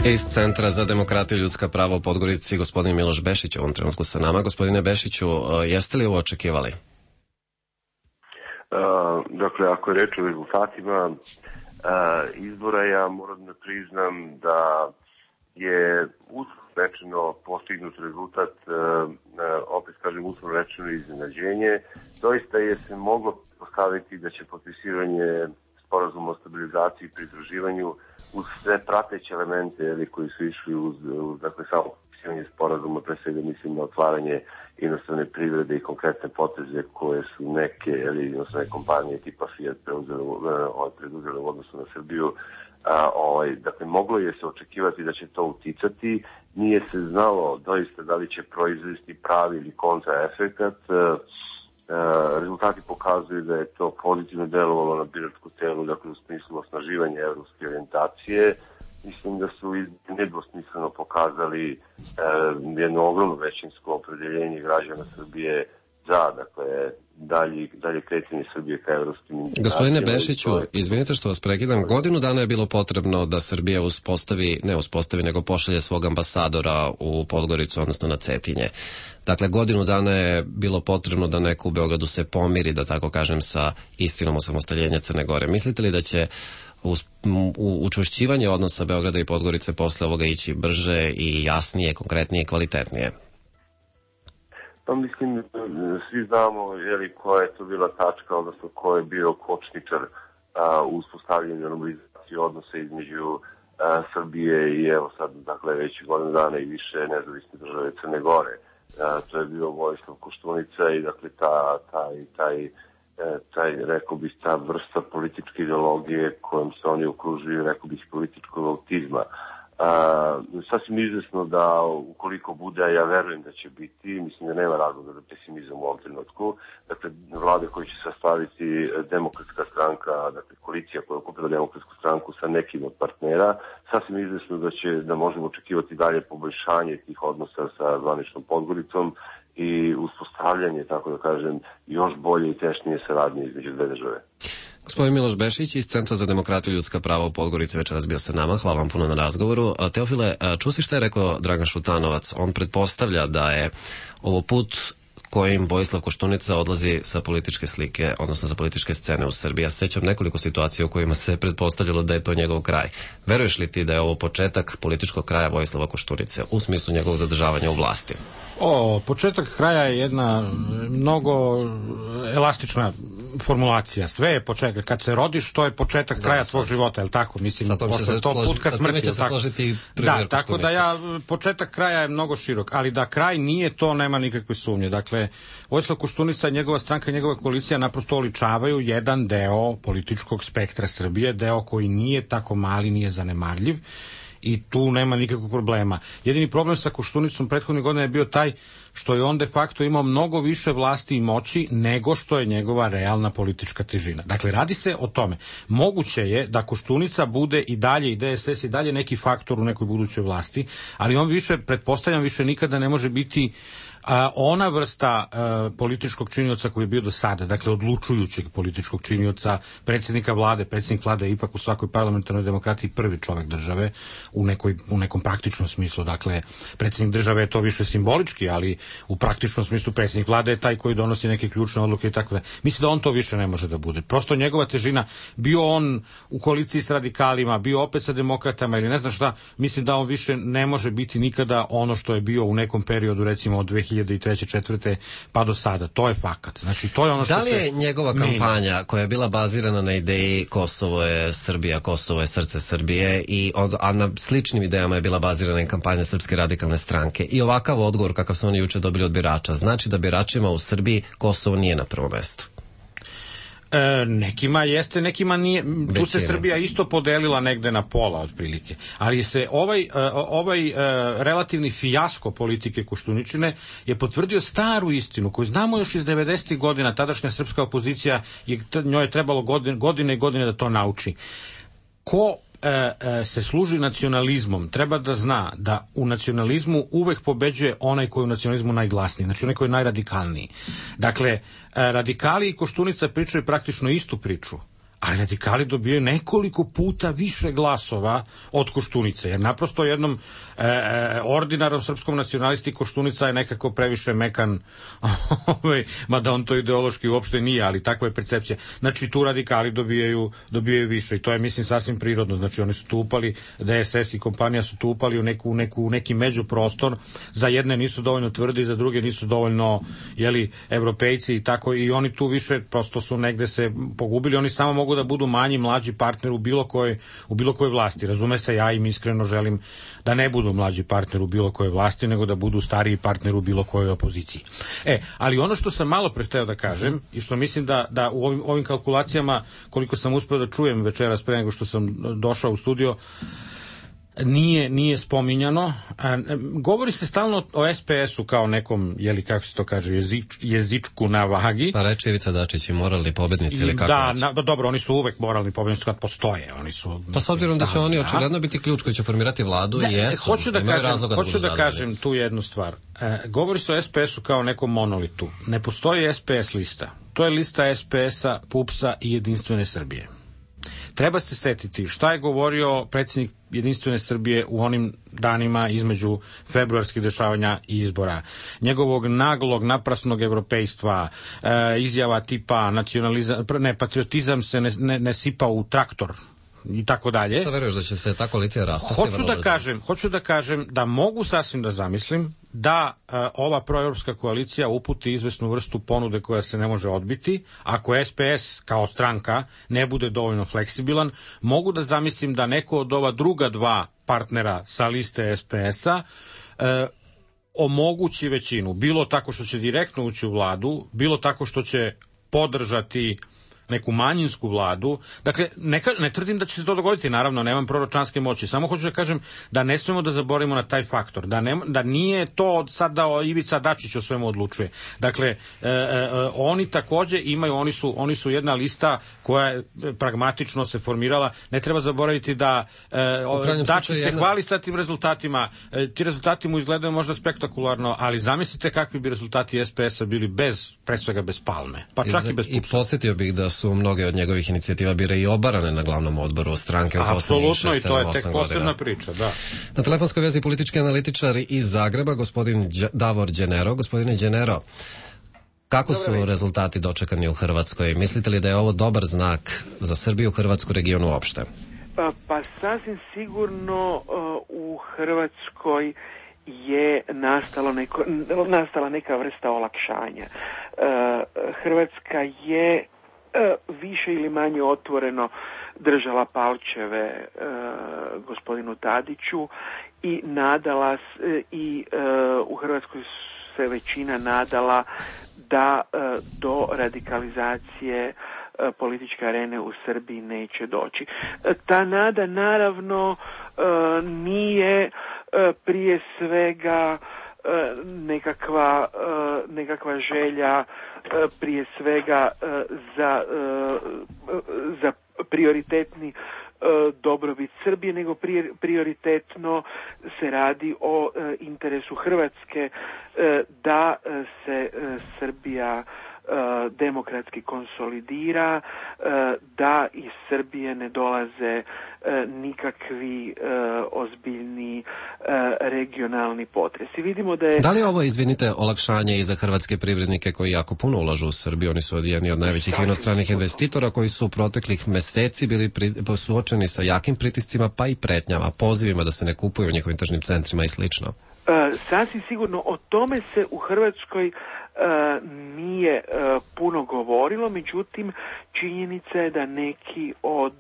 Iz Centra za demokratiju i ljudska prava u Podgorici, gospodin Miloš Bešić u ovom trenutku sa nama. Gospodine Bešiću, jeste li ovo očekivali? Dakle, ako je reč o rezultatima izbora, ja moram da priznam da je uslovno rečeno postignut rezultat, opet kažem uslovno rečeno iznenađenje. Doista je se moglo postaviti da će potpisivanje sporazuma o stabilizaciji i pridruživanju uz sve prateće elemente koji su išli uz dakle, samo potpisivanje sporazuma, pre svega mislim na otvaranje inostrane privrede i konkretne poteze koje su neke kompanije tipa Fiat preduzele u odnosu na Srbiju. Dakle, moglo je se očekivati da će to uticati. Nije se znalo doista da li će proizvesti pravi ili kontraefekat. Rezultati pokazuju da je to pozitivno delovalo na biračku telu, dakle u smislu osnaživanja evropske orijentacije. Mislim da su nedvosmisleno pokazali jedno ogromno većinsko opredeljenje građana Srbije za, dakle, dalje kretanje Srbije ka evropskim integracijama. Gospodine Bešiću, izvinite što vas prekidam, godinu dana je bilo potrebno da Srbija nego pošalje svog ambasadora u Podgoricu, odnosno na Cetinje. Dakle, godinu dana je bilo potrebno da neko u Beogradu se pomiri, da tako kažem, sa istinom osamostaljenja Crne Gore. Mislite li da će učvršćivanje odnosa Beograda i Podgorice posle ovoga ići brže i jasnije, konkretnije i kvalitetnije? Pa mislim, svi znamo koja je to bila tačka, odnosno ko je bio kočničar u uspostavljanju normalizacije odnosa između Srbije i evo sad, dakle, već godinu dana i više nezavisne države Crne Gore. To je bio Vojislav Koštunica i dakle rekao bih, ta vrsta političke ideologije kojom se oni okružuju, rekao bih, političkog autizma. Sasvim izvesno da ukoliko bude, a ja verujem da će biti, mislim da nema razloga za pesimizam u ovom trenutku, dakle vlade koji će sastaviti Demokratska stranka, dakle koalicija koja okupila Demokratsku stranku sa nekim od partnera, sasvim izvesno da možemo očekivati dalje poboljšanje tih odnosa sa zvaničnom Podgoricom i uspostavljanje, tako da kažem, još bolje i tešnije saradnje između dve države. Gospodin Miloš Bešić iz Centra za demokratiju i ljudska prava u Podgorici večeras bio sa nama. Hvala vam puno na razgovoru. Teofile, čusi šta je rekao Dragan Šutanovac? On pretpostavlja da je ovo put kojim Vojislav Koštunica odlazi sa političke slike, odnosno sa političke scene u Srbiji. Ja se sećam nekoliko situacija u kojima se pretpostavljalo da je to njegov kraj. Veruješ li ti da je ovo početak političkog kraja Vojislava Koštunice u smislu njegovog zadržavanja u vlasti? Početak kraja je jedna mnogo elastična formulacija. Sve je početak. Kad se rodiš, to je početak kraja svog života, je li tako? Mislim, posle 100 put ka smrti. Da, tako da početak kraja je mnogo širok, ali da kraj nije, to nema nikakve sumnje. Dakle, Vojislav Koštunica, njegova stranka, njegova koalicija naprosto oličavaju jedan deo političkog spektra Srbije, deo koji nije tako mali, nije zanemarljiv, i tu nema nikakvog problema. Jedini problem sa Koštunicom prethodnih godina je bio taj što je on de facto imao mnogo više vlasti i moći nego što je njegova realna politička težina. Dakle, radi se o tome. Moguće je da Koštunica bude i dalje, i DSS i dalje neki faktor u nekoj budućoj vlasti, ali on više, pretpostavljam, više nikada ne može biti ona vrsta političkog činioca koji je bio do sada, dakle odlučujućeg političkog činioca, predsjednika vlade. Predsjednik vlade je ipak u svakoj parlamentarnoj demokratiji prvi čovjek države u nekom praktičnom smislu. Dakle, predsjednik države je to više simbolički, ali u praktičnom smislu predsjednik vlade je taj koji donosi neke ključne odluke i tako da. Mislim da on to više ne može da bude. Prosto njegova težina, bio on u koaliciji s radikalima, bio opet sa demokratama ili ne znam šta, mislim da on više ne može biti nikada ono što je bio u nekom periodu, recimo od 2003. 2004. pa do sada. To je fakat. Znači, to je ono što da li je njegova kampanja koja je bila bazirana na ideji Kosovo je Srbija, Kosovo je srce Srbije, a na sličnim idejama je bila bazirana i kampanja Srpske radikalne stranke, i ovakav odgovor kakav su oni juče dobili od birača, znači da biračima u Srbiji Kosovo nije na prvom mestu? Nekima jeste, nekima nije. Tu se Srbija isto podelila negde na pola otprilike, ali se ovaj relativni fijasko politike Koštuničine je potvrdio staru istinu koju znamo još iz 90. godina. Tadašnja srpska opozicija, njoj je trebalo godine i godine da to nauči. Ko se služi nacionalizmom treba da zna da u nacionalizmu uvek pobeđuje onaj koji je u nacionalizmu najglasniji, znači onaj koji je najradikalniji. Dakle, radikali i Koštunica pričaju praktično istu priču, ali radikali dobijaju nekoliko puta više glasova od Koštunice, jer naprosto jednom ordinarnom srpskom nacionalisti Koštunica je nekako previše mekan, mada on to ideološki uopšte nije, ali takva je percepcija. Znači tu radikali dobijaju više i to je, mislim, sasvim prirodno. Znači oni su tu upali, DSS i kompanija su tu upali u neki međuprostor, za jedne nisu dovoljno tvrdi, za druge nisu dovoljno, evropejci i tako, i oni tu više prosto su negde se pogubili. Oni samo mogu da budu manji, mlađi partner u bilo kojoj vlasti. Razume se, ja im iskreno želim da ne budu mlađi partner u bilo kojoj vlasti, nego da budu stariji partner u bilo kojoj opoziciji. Ali ono što sam malo pre hteo da kažem i što mislim da u ovim kalkulacijama, koliko sam uspeo da čujem večeras pre nego što sam došao u studio, nije spominjano. Govori se stalno o SPS-u kao nekom, kako se to kaže, jezičku na vagi. Pa reče Ivica Dačić i moralni pobednici ili kako? Dobro, oni su uvek moralni pobednici kad postoje. Oni su, pa s obzirom da će oni očigledno biti ključ koji će formirati vladu i jesu. Hoću da kažem tu jednu stvar. Govori se o SPS-u kao nekom monolitu. Ne postoji SPS lista. To je lista SPS-a, PUPS-a i Jedinstvene Srbije. Treba se setiti šta je govorio predsjednik Jedinstvene Srbije u onim danima između februarskih dešavanja i izbora. Njegovog naglog, naprasnog evropejstva, izjava tipa patriotizam se ne sipa u traktor i tako dalje. Šta veruješ da će se ta koalicija raspasti? Hoću da kažem da mogu sasvim da zamislim da ova proevropska koalicija uputi izvesnu vrstu ponude koja se ne može odbiti. Ako SPS kao stranka ne bude dovoljno fleksibilan, mogu da zamislim da neko od ova druga dva partnera sa liste SPS-a omogući većinu, bilo tako što će direktno ući u vladu, bilo tako što će podržati neku manjinsku vladu. Dakle, ne tvrdim da će se to dogoditi, naravno, nemam proročanske moći, samo hoću da kažem da ne smemo da zaboravimo na taj faktor, da nije to sad da Ivica Dačić o svemu odlučuje. Dakle, oni takođe imaju, oni su jedna lista koja je pragmatično se formirala. Ne treba zaboraviti da Dačić se hvali sa tim rezultatima. Ti rezultati mu izgledaju možda spektakularno, ali zamislite kakvi bi rezultati SPS-a bili pre svega bez Palme, pa čak i bez Pupsa. I podsjetio bih da su mnoge od njegovih inicijativa bile i obarane na glavnom odboru stranke u poslednjih 6-7-8 godina. Apsolutno, i to je tek posebna priča, da. Na telefonskoj vezi politički analitičar iz Zagreba, gospodin Davor Đenero. Gospodine Đenero, kako su rezultati dočekani u Hrvatskoj? Mislite li da je ovo dobar znak za Srbiju, Hrvatsku, regionu uopšte? Pa sasvim sigurno u Hrvatskoj je nastala neka vrsta olakšanja. Hrvatska je više ili manje otvoreno držala palčeve gospodinu Tadiću i nadala i u Hrvatskoj se većina nadala da do radikalizacije političke arene u Srbiji neće doći. Ta nada naravno nije prije svega nekakva želja prije svega za prioritetni dobrobit Srbije, nego prioritetno se radi o interesu Hrvatske da se Srbija demokratski konsolidira, da iz Srbije ne dolaze nikakvi ozbiljni regionalni potresi. Vidimo da je... Da li ovo, izvinite, olakšanje i za hrvatske privrednike koji jako puno ulažu u Srbiju? Oni su jedni od najvećih inostranih investitora koji su u proteklih meseci bili suočeni sa jakim pritiscima pa i pretnjama, pozivima da se ne kupuju u njihovim tržnim centrima i slično. Sasvim sigurno o tome se u Hrvatskoj nije puno govorilo, međutim činjenica je da neki od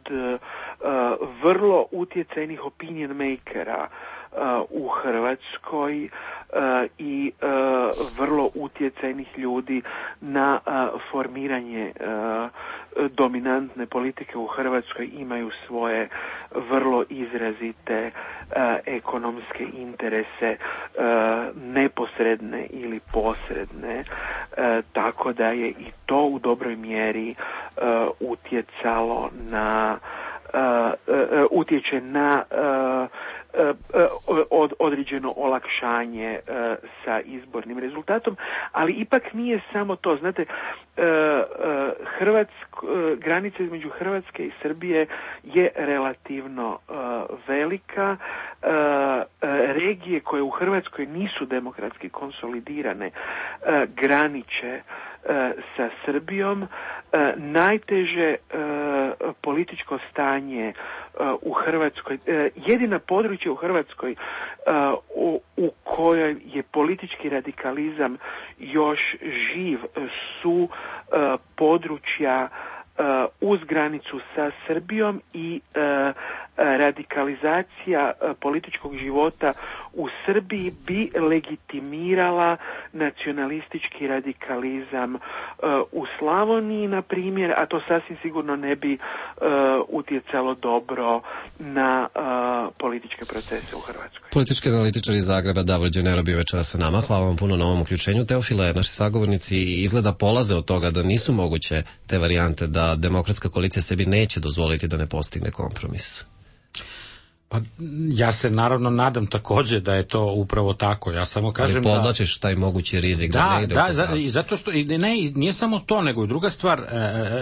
vrlo utjecajnih opinion makera u Hrvatskoj i vrlo utjecajnih ljudi na formiranje dominantne politike u Hrvatskoj imaju svoje vrlo izrazite ekonomske interese, neposredne ili posredne, tako da je i to u dobroj mjeri utječe na određeno olakšanje sa izbornim rezultatom, ali ipak nije samo to. Znate, granica između Hrvatske i Srbije je relativno velika. Regije koje u Hrvatskoj nisu demokratski konsolidirane graniče sa Srbijom. Najteže političko stanje u Hrvatskoj, jedina područja u Hrvatskoj u kojoj je politički radikalizam još živ su područja uz granicu sa Srbijom i radikalizacija političkog života u Srbiji bi legitimirala nacionalistički radikalizam u Slavoniji, na primjer, a to sasvim sigurno ne bi utjecalo dobro na političke procese u Hrvatskoj. Politički analitičar iz Zagreba Davor Đenero bio večeras sa nama. Hvala vam puno na ovom uključenju. Teofile, naši sagovornici izgleda polaze od toga da nisu moguće te varijante, da demokratska koalicija sebi neće dozvoliti da ne postigne kompromis. Pa ja se naravno nadam takođe da je to upravo tako. Ja samo kažem da... Ali podlačiš taj mogući rizik da ne ide u kompromis. I zato što nije samo to, nego i druga stvar,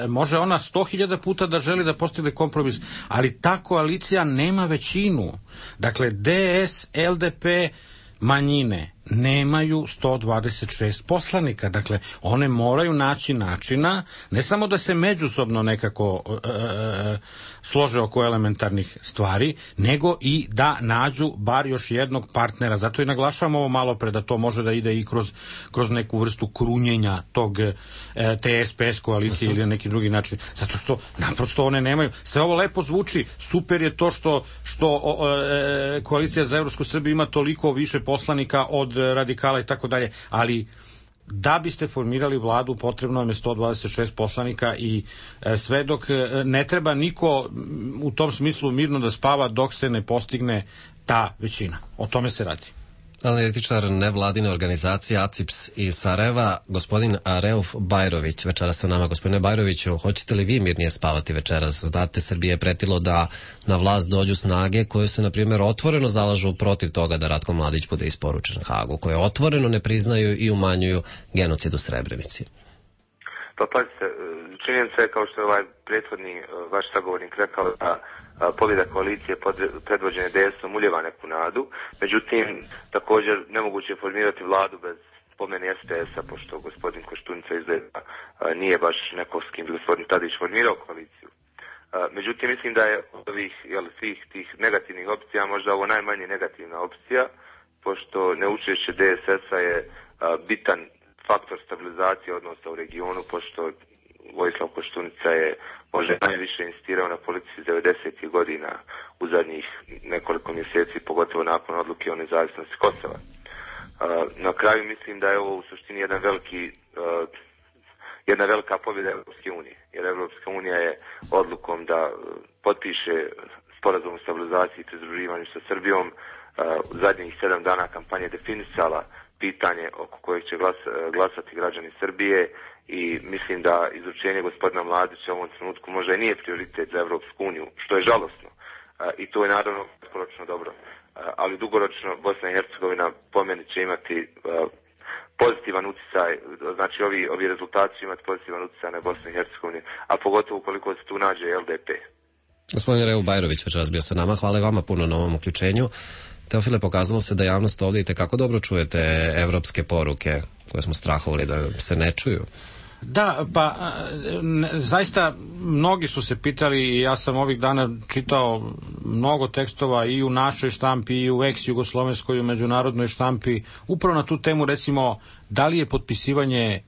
može ona 100.000 puta da želi da postigne kompromis, ali ta koalicija nema većinu. Dakle, DS, LDP, manjine nemaju 126 poslanika. Dakle, one moraju naći načina, ne samo da se međusobno nekako slože oko elementarnih stvari, nego i da nađu bar još jednog partnera. Zato i naglašavam ovo malo pre, da to može da ide i kroz neku vrstu krunjenja te SPS koalicije ili na neki drugi način. Zato što naprosto one nemaju. Sve ovo lepo zvuči, super je to što koalicija za Evropsku Srbiju ima toliko više poslanika od radikala i tako dalje, ali da biste formirali vladu potrebno je 126 poslanika i sve dok ne treba niko u tom smislu mirno da spava dok se ne postigne ta većina. O tome se radi. Analitičar nevladine organizacije ACIPS iz Sarajeva, gospodin Reuf Bajrović, večeras sa nama. Gospodine Bajroviću, hoćete li vi mirnije spavati večeras? Znate, Srbije je pretilo da na vlast dođu snage koje se, na primjer, otvoreno zalažu protiv toga da Ratko Mladić bude isporučen Hagu, koje otvoreno ne priznaju i umanjuju genocid u Srebrenici. Pa pazite, činjenica je, kao što je ovaj prethodni vaš sagovornik rekao, da pobjeda koalicije predvođene DS-om uljeva neku nadu. Međutim, također nemoguće je formirati vladu bez pomene SPS-a, pošto gospodin Koštunica izgleda nije baš neko s kim bi gospodin Tadić formirao koaliciju. Međutim, mislim da je od ovih svih tih negativnih opcija možda ovo najmanje negativna opcija, pošto neučešće DSS-a je bitan faktor stabilizacije odnosa u regionu, pošto Vojislav Koštunica je možda najviše insistirao na politici 90. godina u zadnjih nekoliko mjeseci, pogotovo nakon odluke o nezavisnosti Kosova. Na kraju mislim da je ovo u suštini jedna velika pobjeda Europske unije, jer Europska unija je odlukom da potpiše sporazum o stabilizaciji i pridruživanju sa Srbijom u zadnjih 7 dana kampanje definisala pitanje oko kojeg će glasati građani Srbije i mislim da izručenje gospodina Mladića u ovom trenutku možda i nije prioritet za Evropsku uniju, što je žalosno i to je naravno kratkoročno dobro, ali dugoročno Bosna i Hercegovina po meni će imati pozitivan utjecaj, znači ovi rezultati će imati pozitivan utjecaj na Bosnu i Hercegovini, a pogotovo ukoliko se tu nađe LDP. Gospodin Reuf Bajrović večeras bio sa nama, hvala vama puno na ovom uključenju. Teofile, pokazalo se da javnost ovdje i tekako dobro čujete evropske poruke koje smo strahovali da se ne čuju. Da, pa zaista mnogi su se pitali i ja sam ovih dana čitao mnogo tekstova i u našoj štampi i u ex-jugoslovenskoj i u međunarodnoj štampi upravo na tu temu, recimo, da li je potpisivanje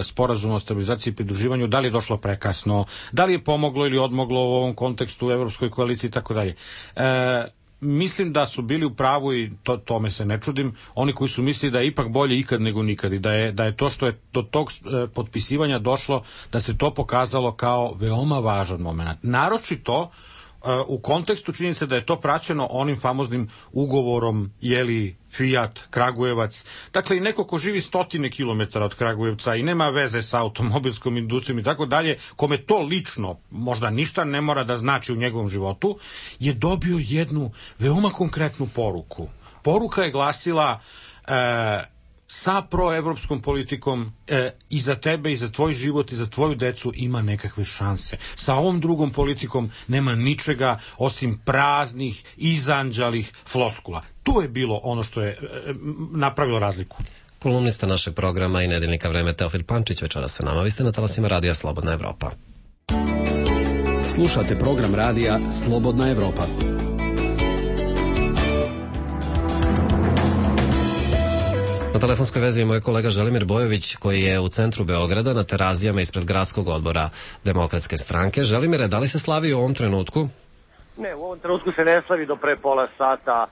sporazuma o stabilizaciji i pridruživanju, da li je došlo prekasno, da li je pomoglo ili odmoglo u ovom kontekstu u Evropskoj koaliciji i tako dalje. Mislim da su bili u pravu i tome se ne čudim, oni koji su mislili da je ipak bolje ikad nego nikad i da je to što je do tog potpisivanja došlo, da se to pokazalo kao veoma važan moment. Naročito u kontekstu činjenice da je to praćeno onim famoznim ugovorom Fiat, Kragujevac. Dakle, i neko ko živi 100 kilometara od Kragujevca i nema veze sa automobilskom industrijom i tako dalje, kome to lično možda ništa ne mora da znači u njegovom životu, je dobio jednu veoma konkretnu poruku. Poruka je glasila sa proevropskom politikom i za tebe i za tvoj život i za tvoju decu ima nekakve šanse. Sa ovom drugom politikom nema ničega osim praznih, izanđalih floskula. To je bilo ono što je napravilo razliku. Kolumnista našeg programa i nedeljnika Vreme Teofil Pančić večeras sa nama. Vi ste na talasima Radija Slobodna Evropa. Slušate program radija Slobodna Evropa. Na telefonskoj vezi je moj kolega Želimir Bojović, koji je u centru Beograda na Terazijama ispred gradskog odbora Demokratske stranke. Želimire, da li se slavi u ovom trenutku? Ne, u ovom trenutku se ne slavi do pre pola sata.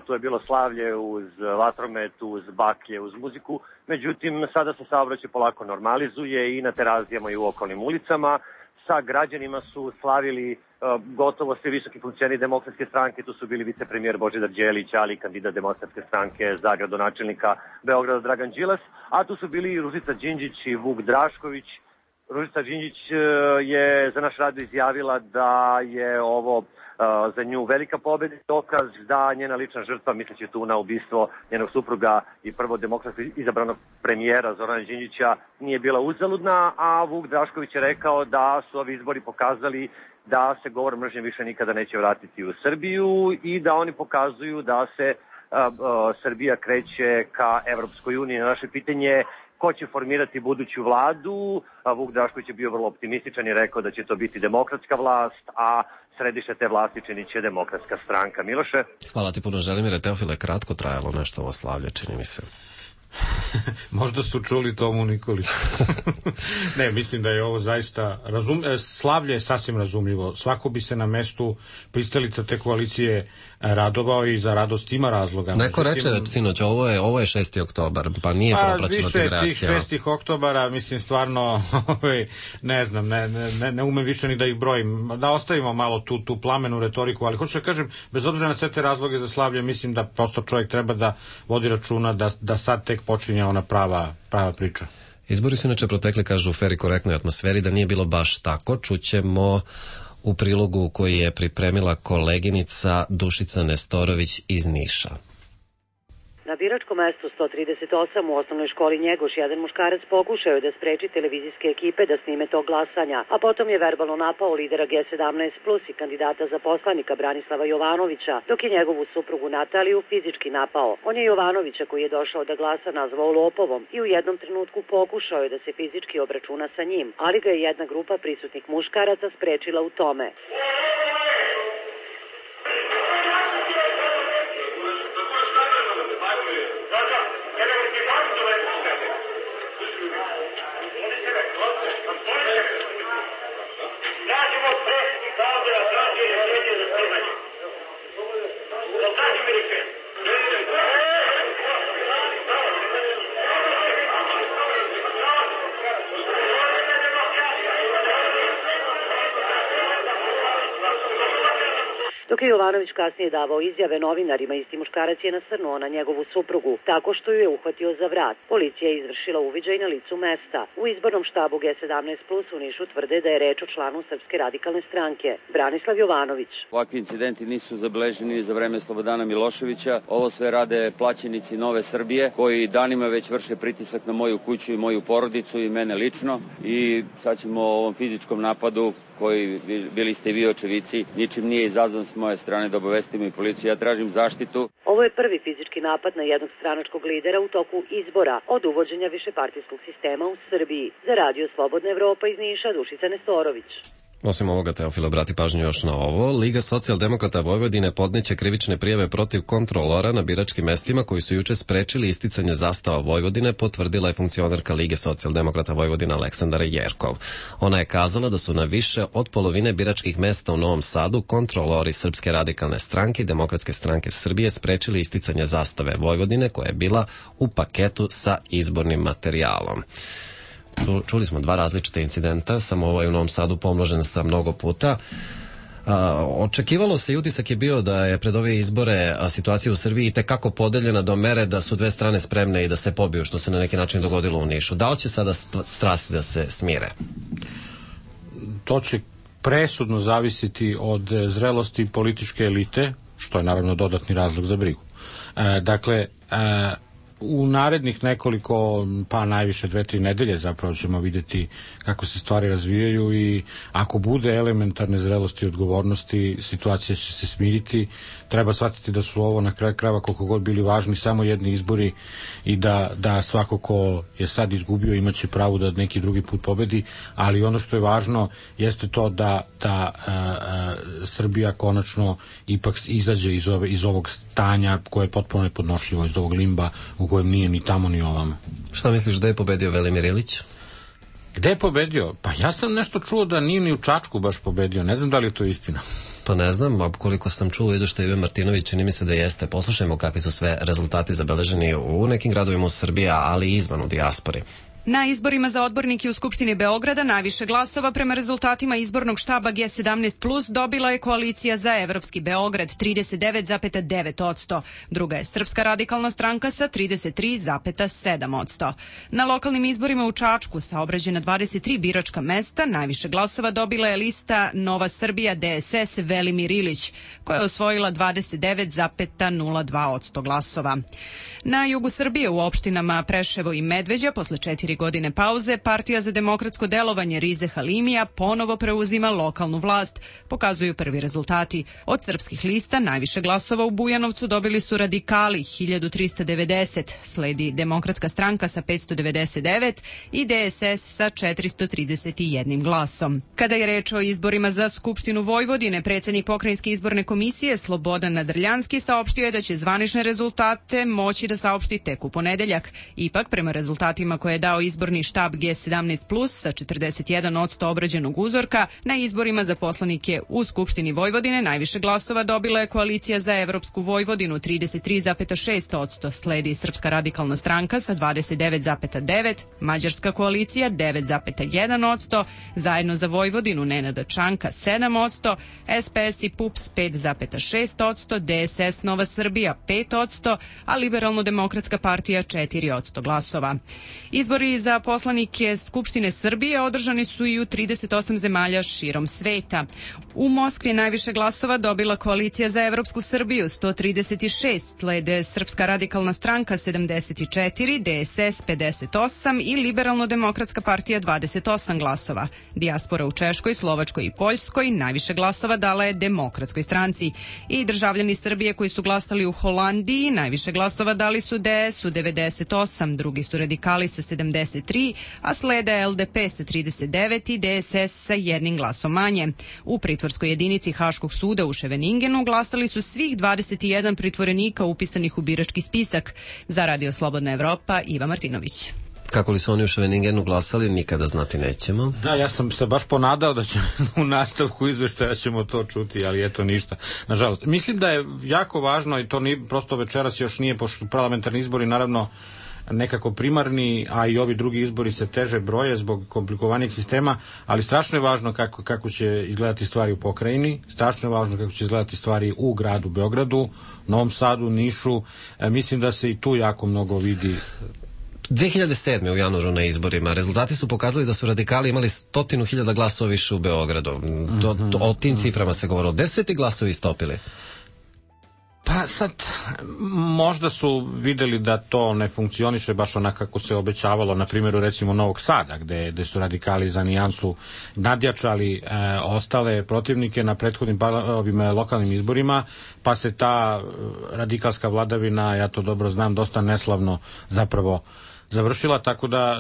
Tu je bilo slavlje uz vatromet, uz baklje, uz muziku. Međutim, sada se saobraćaj polako normalizuje i na Terazijama i u okolnim ulicama. Sa građanima su slavili gotovo svi visoki funkcioneri Demokratske stranke. Tu su bili vicepremijer Božidar Đelić, ali kandidat Demokratske stranke za gradonačelnika Beograda Dragan Đilas, a tu su bili Ružica Đinđić i Vuk Drašković. Ružica Đinđić je za naš radio izjavila da je ovo za nju velika pobjeda, dokaz da njena lična žrtva, misleći tu na ubistvo njenog supruga i prvo demokratski izabranog premijera Zorana Đinđića, nije bila uzaludna, a Vuk Drašković je rekao da su ovi izbori pokazali da se govor mržnje više nikada neće vratiti u Srbiju i da oni pokazuju da se Srbija kreće ka Evropskoj uniji. Na naše pitanje ko će formirati buduću vladu, Vuk Drašković je bio vrlo optimističan i rekao da će to biti demokratska vlast, a središte te vlasti činit će Demokratska stranka. Miloše? Hvala ti puno, Želimire. Teofile, kratko trajalo nešto ovo slavlje, čini mi se. Možda su čuli Tomu Nikolić. Ne, mislim da je ovo zaista slavlje je sasvim razumljivo. Svako bi se na mestu pristalica te koalicije radovao i za radost ima razloga. Neko reče sinoć, ovo je 6. oktobar, pa nije propraćeno tih reakcija. Više tih 6. oktobara, mislim, stvarno, ne znam, ne umem više ni da ih brojim. Da ostavimo malo tu plamenu retoriku, ali hoću da kažem, bez obzira na sve te razloge za slavlje, mislim da prosto čovjek treba da vodi računa da sad tek počinje ona prava priča. Izbori su inače protekli, kažu, u fer i korektnoj atmosferi, da nije bilo baš tako. Čućemo u prilogu koji je pripremila koleginica Dušica Nestorović iz Niša. Na biračkom mestu 138 u osnovnoj školi Njegoš jedan muškarac pokušao je da spreči televizijske ekipe da snime tog glasanja, a potom je verbalno napao lidera G17 plus i kandidata za poslanika Branislava Jovanovića, dok je njegovu suprugu Nataliju fizički napao. On je Jovanovića, koji je došao da glasa, nazvao lopovom i u jednom trenutku pokušao je da se fizički obračuna sa njim, ali ga je jedna grupa prisutnih muškaraca sprečila u tome. Dok je Jovanović kasnije davao izjave novinarima, isti muškarac je nasrnuo na njegovu suprugu, tako što ju je uhvatio za vrat. Policija je izvršila uviđaj na licu mesta. U izbornom štabu G17 plus u Nišu tvrde da je reč o članu Srpske radikalne stranke. Branislav Jovanović. Ovakvi incidenti nisu zabeleženi za vreme Slobodana Miloševića. Ovo sve rade plaćenici Nove Srbije, koji danima već vrše pritisak na moju kuću i moju porodicu i mene lično. I sad ćemo o ovom fizičkom napadu, koji bili ste vi očevici, ničim nije izazvan s moje strane, da obavestimo i policiju. Ja tražim zaštitu. Ovo je prvi fizički napad na jednog stranačkog lidera u toku izbora od uvođenja višepartijskog sistema u Srbiji. Za Radio Slobodna Evropa iz Niša, Dušica Nestorović. Osim ovoga, Teofil, obrati pažnju još na ovo. Liga socijaldemokrata Vojvodine podneće krivične prijave protiv kontrolora na biračkim mestima koji su juče sprečili isticanje zastava Vojvodine, potvrdila je funkcionerka Lige socijaldemokrata Vojvodine Aleksandra Jerkov. Ona je kazala da su na više od polovine biračkih mesta u Novom Sadu kontrolori Srpske radikalne stranke i Demokratske stranke Srbije sprečili isticanje zastave Vojvodine, koja je bila u paketu sa izbornim materijalom. Čuli smo dva različita incidenta, samo ovaj u Novom Sadu pomnožen sa mnogo puta. Očekivalo se i utisak je bio da je pred ove izbore situacija u Srbiji tekako podeljena do mere da su dve strane spremne i da se pobiju, što se na neki način dogodilo u Nišu. Da li će sada strasti da se smire? To će presudno zavisiti od zrelosti političke elite, što je naravno dodatni razlog za brigu. Dakle, u narednih nekoliko, pa najviše 2-3 nedelje zapravo ćemo vidjeti kako se stvari razvijaju i ako bude elementarne zrelosti i odgovornosti, situacija će se smiriti. Treba shvatiti da su ovo na kraju krajeva, koliko god bili važni, samo jedni izbori i da svako ko je sad izgubio imaće pravo da neki drugi put pobedi, ali ono što je važno jeste to da Srbija konačno ipak izađe iz ovog stanja koje je potpuno nepodnošljivo, iz ovog limba u kojem nije ni tamo ni ovamo. Šta misliš, da je pobedio Velimir Ilić? Gde je pobedio? Pa ja sam nešto čuo da nije ni u Čačku baš pobedio. Ne znam da li je to istina. Pa ne znam, a koliko sam čuo izveštaj Ive Martinović, čini mi se da jeste. Poslušajmo kakvi su sve rezultati zabeleženi u nekim gradovima u Srbiji, ali i izvan u dijaspori. Na izborima za odbornike u Skupštini Beograda najviše glasova prema rezultatima izbornog štaba G17+, dobila je koalicija za Evropski Beograd 39,9%. Druga je Srpska radikalna stranka sa 33,7%. Na lokalnim izborima u Čačku sa obrađena 23 biračka mesta najviše glasova dobila je lista Nova Srbija DSS Velimir Ilić, koja je osvojila 29,02% glasova. Na jugu Srbije u opštinama Preševo i Medveđa posle 4 godine pauze Partija za demokratsko delovanje Rize Halimija ponovo preuzima lokalnu vlast, pokazuju prvi rezultati. Od srpskih lista najviše glasova u Bujanovcu dobili su radikali 1390, sledi Demokratska stranka sa 599 i DSS sa 431 glasom. Kada je reč o izborima za Skupštinu Vojvodine, predsednik Pokrajinske izborne komisije Slobodan Nadrljanski saopštio je da će zvanične rezultate moći da saopšti tek u ponedeljak. Ipak, prema rezultatima koje je dao izborni štab G17+, sa 41% obrađenog uzorka. Na izborima za poslanike u Skupštini Vojvodine najviše glasova dobila je Koalicija za Evropsku Vojvodinu 33,6%, sledi Srpska radikalna stranka sa 29,9%, Mađarska koalicija 9,1%, Zajedno za Vojvodinu Nenada Čanka 7%, SPS i PUPS 5,6%, DSS Nova Srbija 5%, a Liberalno-demokratska partija 4% glasova. Izbori za poslanike Skupštine Srbije održani su i u 38 zemalja širom sveta. U Moskvi je najviše glasova dobila Koalicija za Evropsku Srbiju 136, slede Srpska radikalna stranka 74, DSS 58 i Liberalno-demokratska partija 28 glasova. Dijaspora u Češkoj, Slovačkoj i Poljskoj najviše glasova dala je Demokratskoj stranci. I državljani Srbije koji su glasali u Holandiji najviše glasova dali su DS-u 98, drugi su radikali sa 73, a slede LDP sa 39 i DSS sa jednim glasom manje. U pritvorskoj jedinici Haškog suda u Ševeningenu glasali su svih 21 pritvorenika upisanih u birački spisak. Za Radio Slobodna Evropa, Iva Martinović. Kako li su oni u Ševeningenu glasali, nikada znati nećemo. Da, ja sam se baš ponadao da će u nastavku izveštaja ćemo to čuti, ali eto ništa, nažalost. Mislim da je jako važno, i to nije, prosto večeras još nije, pošto parlamentarni izbori naravno nekako primarni, a i ovi drugi izbori se teže broje zbog komplikovanijeg sistema, ali strašno je važno kako će izgledati stvari u pokrajini, strašno je važno kako će izgledati stvari u gradu Beogradu, Novom Sadu, Nišu. Mislim da se i tu jako mnogo vidi. 2007. u januaru na izborima rezultati su pokazali da su radikali imali 100.000 glasova više u Beogradu. O tim ciframa se govorilo. Gde su se ti glasovi stopili? Pa sad, možda su videli da to ne funkcioniše baš onako kako se obećavalo, na primjeru recimo Novog Sada, gde su radikali za nijansu nadjačali ostale protivnike na prethodnim lokalnim izborima, pa se ta radikalska vladavina, ja to dobro znam, dosta neslavno zapravo završila,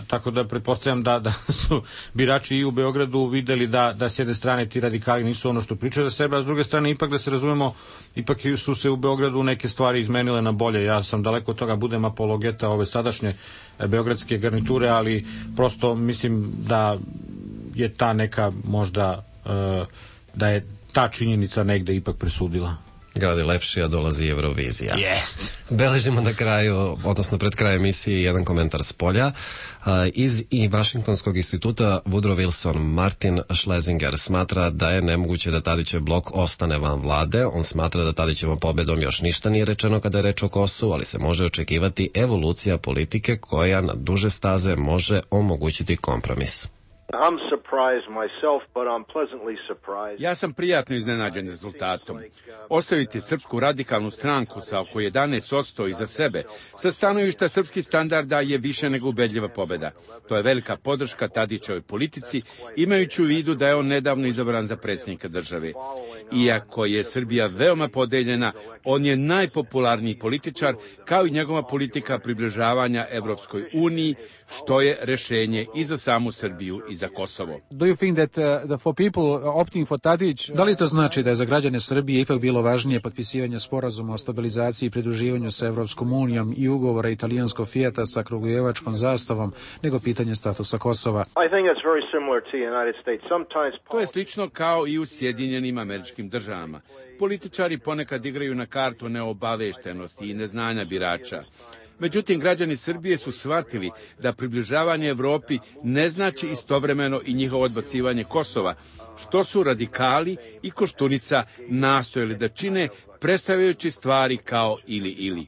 tako da pretpostavljam da su birači i u Beogradu videli da s jedne strane ti radikali nisu ono što pričaju za sebe, a s druge strane ipak da se razumemo, ipak su se u Beogradu neke stvari izmenile na bolje. Ja sam daleko od toga budem apologeta ove sadašnje beogradske garniture, ali prosto mislim da je ta neka možda da je ta činjenica negde ipak presudila. Grad je lepši, a dolazi Eurovizija. Yes. Beležimo na kraju, odnosno pred krajem emisije, jedan komentar s polja. Iz i Vašingtonskog instituta Woodrow Wilson Martin Schlesinger smatra da je nemoguće da Tadićev blok ostane van vlade. On smatra da Tadićevom pobedom još ništa nije rečeno kada je reč o Kosovu, ali se može očekivati evolucija politike koja na duže staze može omogućiti kompromis. I'm surprised myself, but I'm pleasantly surprised. Ja sam prijatno iznenađen rezultatom. Ostaviti Srpsku radikalnu stranku sa oko 11% iza sebe, sa stanovišta srpskih standarda, je više nego ubedljiva pobeda. To je velika podrška Tadićevoj politici, imajući u vidu da je on nedavno izabran za predsjednika države. Iako je Srbija veoma podeljena, on je najpopularniji političar, kao i njegova politika približavanja Evropskoj uniji, što je rešenje i za samu Srbiju i za Kosovo. Do you think that for people opting for Tadić, da li to znači da je za građane Srbije ipak bilo važnije potpisivanje sporazuma o stabilizaciji i pridruživanju sa Evropskom unijom i ugovora italijanskog Fijata sa Kragujevačkom zastavom nego pitanje statusa Kosova? I think it's very similar to the United States. Sometimes to je slično kao i u Sjedinjenim Američkim Državama. Političari ponekad igraju na kartu neobaveštenosti i neznanja birača. Međutim, građani Srbije su shvatili da približavanje Evropi ne znači istovremeno i njihovo odbacivanje Kosova, što su radikali i Koštunica nastojali da čine, predstavljajući stvari kao ili.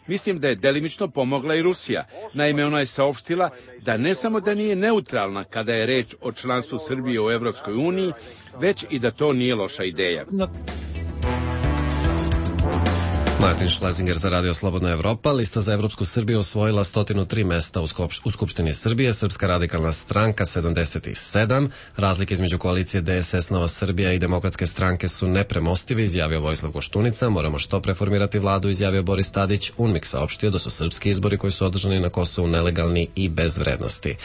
Mislim da je delimično pomogla i Rusija. Naime, ona je saopštila da ne samo da nije neutralna kada je reč o članstvu Srbije u Evropskoj uniji, već i da to nije loša ideja. Martin Schlesinger za Radio Slobodna Evropa. Lista za Evropsku Srbiju osvojila 103 mesta u Skupštini Srbije, Srpska radikalna stranka 77. Razlike između koalicije DSS Nova Srbija i Demokratske stranke su nepremostivi, izjavio Vojislav Koštunica. Moramo što preformirati vladu, izjavio Boris Tadić. UNMIK saopštio da su srpski izbori koji su održani na Kosovu nelegalni i bez vrednosti.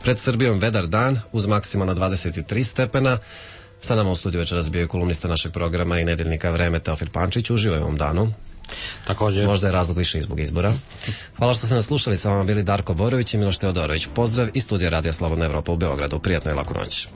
Pred Srbijom vedar dan uz maksimalna 23 stepena. Sa nama u studiju večeras bio je kolumnista našeg programa i nedeljnika Vreme Teofil Pančić. Uživaj u ovom danu. Također. Možda je razlog više zbog izbora. Hvala što ste nas slušali, sa vama bili Darko Borović i Miloš Teodorović. Pozdrav iz studija Radija Slobodna Evropa u Beogradu. Prijatno i laku noć.